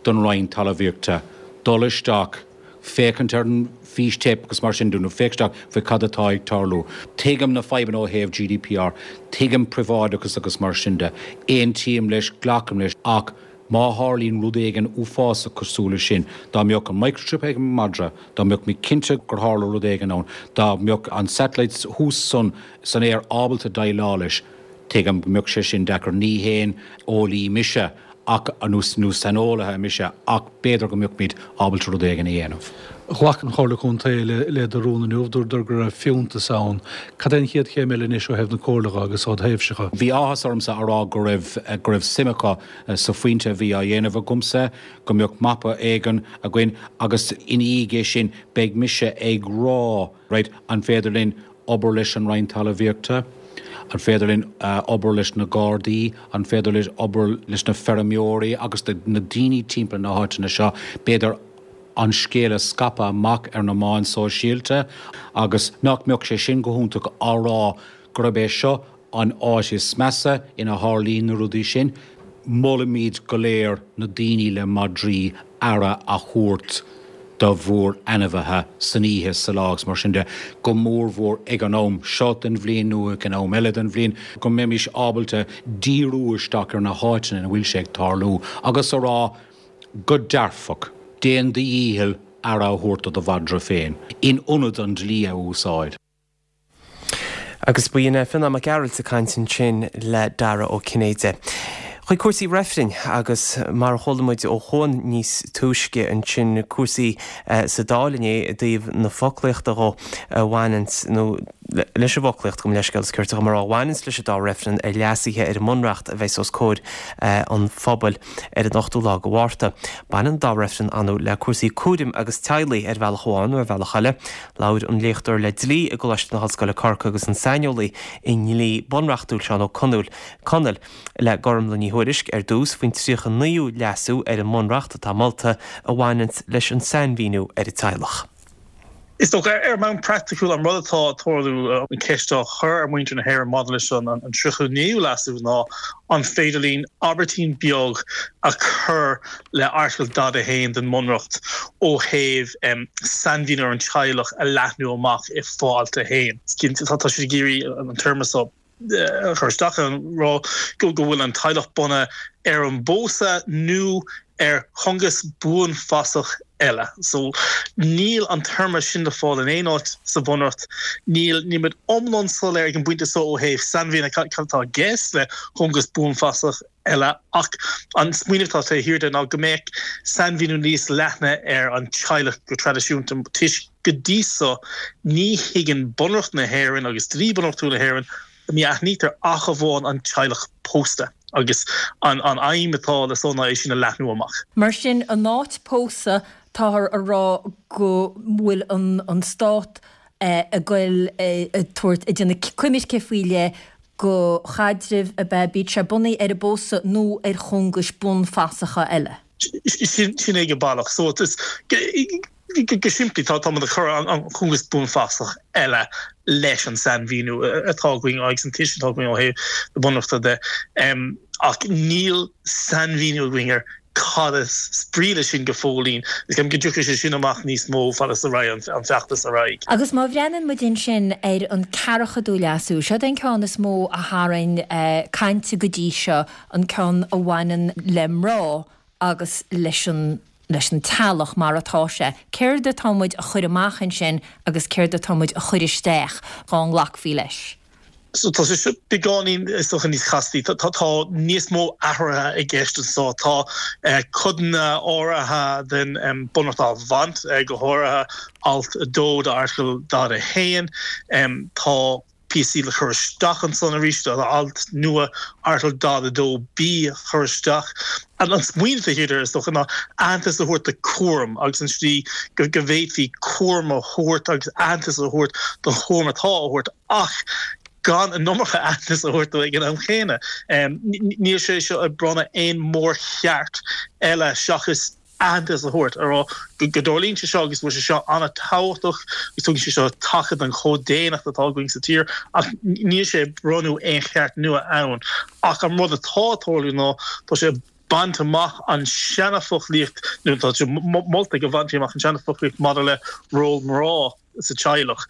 don Roinn Talmhaíochta dul isteach féachaint ar an fístéip agus mar sin de nó féach isteach faoi cad atá ag tarlú. Tuigim na fadhbanna ó thaobh GDPR, tuigim príobháideachas agus mar sin de, aontaím leis, glacaim leis ach má tharlaíonn rud éigin uafásach cosúil leis sin, dá mbeadh an microchip ag an madra, dá mbeadh mé cinnte gur tharla rud éigin ann, dá mbeadh an satellite thuas san san aer ábalta déileáil leis, tuigim go mbeadh sé sin deacair. Ní haon eolaí mise ach nó nó saineolaithe mise ach b'fhéidir go mbeadh muid ábalta rud éigin a dhéanamh. Ghlac an Chomhairle Contae le do rún inniu, dúradar go raibh fiúntas ann. Cad é an chéad chéim eile anois ó thaobh na Comhairle dhe agus ó do thaobhse dhe? Bhí áthas ormsa a rá go raibh go raibh suim acu sa phointe a bhí á dhéanamh agamsa, go mbeadh mapa éigin againn agus ina dhiaidh é sin beidh mise ag rá, right, an féidir linn obair leis an Roinn Talmhaíochta? An féidir linn obair leis na Gardaí? An féidir linn obair leis na feirmeoirí agus na daoine timpeall na háiteanna seo? B'fhéidir an scéal a scaipeadh amach ar na meáin sóisialta agus nach mbeadh sé sin go hiontach á rá gurb é seo an áit is measa ina tharlaíonn na rudaí sin. Molaimid go léir na daoine le madraí aire a thabhairt do bhur n-ainmhithe san oíche, sa lá agus mar sin de, go mórmhór ag an am seo den bhliain nó ag an am eile den bhliain, go mbeimis ábalta díriú isteach ar na háiteanna ina bhfuil sé ag tarlú agus a rá go dearfach, déan do dhícheall aire a thabhairt do do mhadra féin, in ionad an dlí a úsáid. Agus ba in Fionán Mac Gearailt ag caint ansin le Dara Ó Cinnéide. Chuig cúrsaí reifrinn agus mar a chuala muid ó Chuan níos túisce ansin cúrsaí sa Dáil inné i dtaobh na foclaíochta dhó a bhaineanns nó leis an bhfoclaíocht, gabh mo leithscéal, is ceart dom a rá, a bhaineanns leis an dá reifreann ar leasuithe ar an mBunreacht a bheas os comhair an phobail ar an ochtú lá de Mhárta. Baineann an dá reifreann ar ndóigh le cúrsaí cúraim agus teaghlaigh ar bhealach amháin nó ar bhealach eile. Labhair an léachtóir le dlí i gColáiste na hOllscoile Corcaigh agus an saineolaí i ndlí bunreachtúil Seán Ó Conaill le Gormlaith Ní Thuairisg ar dtús faoin tríocha naoú leasú ar an mBunreacht atá molta a bhaineanns leis an sainmhíniú ar an teaghlach. Is dócha, ar bhonn praiticiúil, an rud atá ag tarlú, an cheist á chur ar mhuintir na hÉireann maidir leis an tríocha naoú leasú ná an féidir linn abairtín beag a chur le Airteagal daichead a haon den mBunreacht ó thaobh sainmhíniú ar an teaghlach a leathnú amach i fo-alt a haon. Tá siad ag iarraidh an téarma seo a chur isteach ag rá go bhfuil an teaghlach bunaithe ar an bpósadh nó ar chóngas buanfasach eile. So níl an téarma sin le fáil in aon áit sa Bhunreacht. Níl níl muid iomlán soiléir ag an bpointe seo ó thaobh sainmhíniú cad atá i gceist le cóngas buanfasach eile ach an smaoineamh atá taobh thiar de ná go mbeadh sainmhíniú níos leithne ar an teaghlach go traidisiúnta toisc go dtí so ní thuigeann Bunreacht na hÉireann agus dlí bunreachtúil na hÉireann ní aithnítear ach amháin an teaghlach pósta agus an an aidhm atá le so ná é sin a leathnú amach. Mar sin, in áit pósadh, táthar a rá go bhfuil an an stát ag goil ag tabhairt, ag déanamh coimirce faoi leith do chaidrimh ab ea, bíodh sé bunaithe ar an bpósadh nó ar chóngais buanfasacha eile. Sin é go baileach. So is go simplí tá tá muid ag cur an cóngas buanfasach eile leis an sainmhíniú atá againn agus an tuiscint atá againn ó thaobh na Bunreachta de. Ach níl sainmhíniú againn ar cad is brí leis sin go fóillín. Is ceapaim go dtiocfaidh sé sin amach níos mó fad is a raghaidh an feachtas ar aghaidh. Agus má bhreathnaíonn muid ansin ar an ceathracha leasú, seod é an ceann is mó a tharraing caint go dtí seo, an ceann a bhaineann le mná agus leis an leis an teaghlach mar atá sé. Céard atá muid a chur amach ansin agus céard atá muid a chur isteach dá nglacfaí leis? So tá sé seo beagáinín is dócha níos castaí. Tá tá níos mó athruithe i gceist anseo. Tá codanna áirithe den Bunreacht á bhaint, go háirithe alt a dó d'Airteagal daichead a haon. Tá píosaí le cur isteach ansan arís, tá alt nua Article daichead a dó B a chur isteach. An smaoineamh atá thiar, is dócha, ná aitheantas a thabhairt do chúram agus an tslí go bhféadfaí cúram a thabhairt agus aitheantas a thabhairt don chúram atá á thabhairt ach gan an iomarca aitheantas a thabhairt dó ag an am chéanna. Níl sé seo ag bronnadh aon mórcheart eile seachas aitheantas a thabhairt, a rá go dtarlaíonn sé seo agus go bhfuil sé seo an-tábhachtach agus tugann sé seo taca don chomh-daonnacht atá againn sa tír ach níl sé ag bronnadh aon cheart nua ann. Ach an rud atá ag tarlú ná tá sé ag baint amach an seana-fhoclaíocht nó tá sé molta go bhainfí amach an seana-fhoclaíocht maidir le ról mná sa teaghlach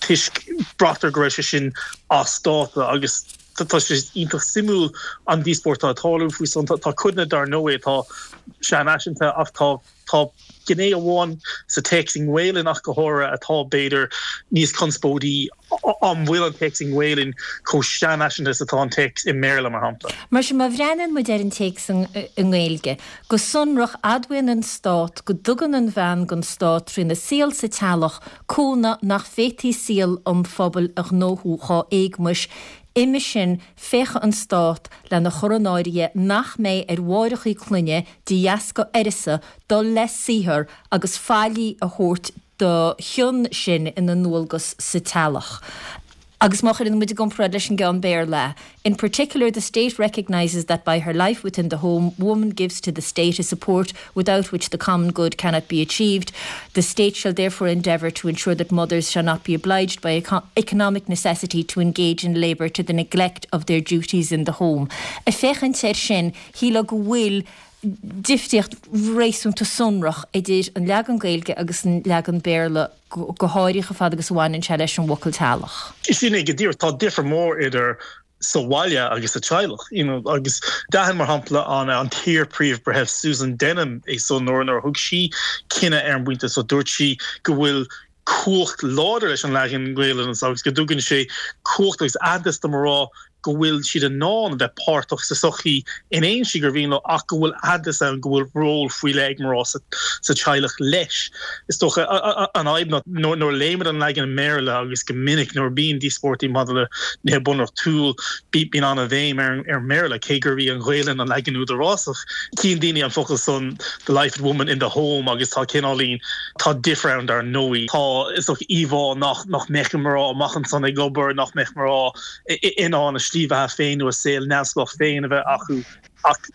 toisc braitear go raibh sé sin as dáta agus tá sé iontach suimiúil an díospóireacht atá ag tarlú faoi san. Tá codanna dar ndóigh atá seanfhaiseanta ach tá tá gné amháin sa téacs i nGaelainn ach go háirithe atá b'fhéidir níos conspóidí. An bhfuil an téacs i nGaelainn chomh seanfhaiseanta is atá an téacs i mBéarla, mar shampla? Mar sin, má bhreathnaíonn muid ar an téacs i nGaeilge, go sonrach, admhaíonn an Stát go dtugann an bhean don Stát trína saol sa teaghlach cúnamh nach bhféadfaí saol an phobail a ghnóthú dhá éagmais. Uime sin, féachfaidh an Stát lena chur in áirithe nach mbeidh ar mháithreacha clainne, de dheasca uireasa, dul le saothar agus faillí a thabhairt dá chionn sin ina ndualgas sa teaghlach. Agus má chuireann muid i gcomparáid leis an gceann Béarla, In particular, the State recognises that by her life within the home, woman gives to the State a support without which the common good cannot be achieved. The State shall therefore endeavour to ensure that mothers shall not be obliged by economic necessity to engage in labour to the neglect of their duties in the home. Ag féachaint air sin, shílfeá go bhfuil difríocht réasúnta sonrach idir an leagan Gaeilge agus an leagan Béarla, go háirithe fad agus a bhaineann sé leis an bhfocal teaghlach. Sin é go díreach. Tá difear mór idir sa bhaile agus sa teaghlach, you know, agus d'aithin, mar shampla, an an t-iar-Phríomh-Bhreitheamh Susan Denham é so nuair nuair a thug sí cinneadh ar an bpointe so dúirt sí go bhfuil cumhacht láidir leis an leagan Gaelainne anso agus go dtugann sé cumhacht agus aitheantas do mná go bhfuil siad in ann a bheith páirteach sa tsochaí in aon slí gur mhian leo ach go bhfuil aitheantas ann go bhfuil ról faoi leith ag mná sa teaghlach leis. Is dócha an fhadhb ná nuair a léimid an leagan i mBéarla agus go minic nuair a bíonn díospóireachtaí maidir le nithe bunreachtúil bíonn an-bhéim ar an mBéarla cé gurb í an Ghaelainn an leagan údarásach. Tchíonn daoine an focal san the life of woman in the home agus tá cineáilín, tá difear ann dar ndóigh. Tá, is dócha, íomhá nach nach mbeadh mná amach ansan ag obair, nach mbeadh mná in ann a slí bheatha féin nó a saol neamhspleách féin a bheith acu ach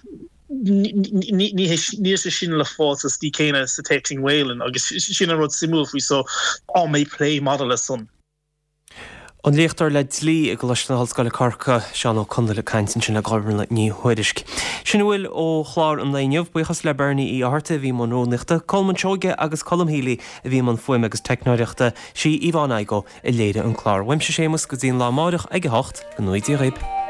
níl sé sin le fáil sa slí céanna sa téacs i nGaelainn agus sin an rud suimiúil faoi so an mbeidh plé maidir le san. An léachtóir le dlí i gColáiste na hOllscoile Corcaigh, Seán Ó Conghaile ag caint ansin le Gormlaith Ní Thuairisg. Sin a bhfuil ó chlár an lae inniu. Buíochas le Bernie Uí Fhátharta a bhí i mbun rúnaíochta, Colman Seoige agus Colm Healy a bhí i mbun fuaime agus teicneoireachta, sí Yvonne Igoe a léirigh an clár. Uaimse Séamus go dtí an lá amáireach ag a hocht, go ngnóthaí Dia dhaoib.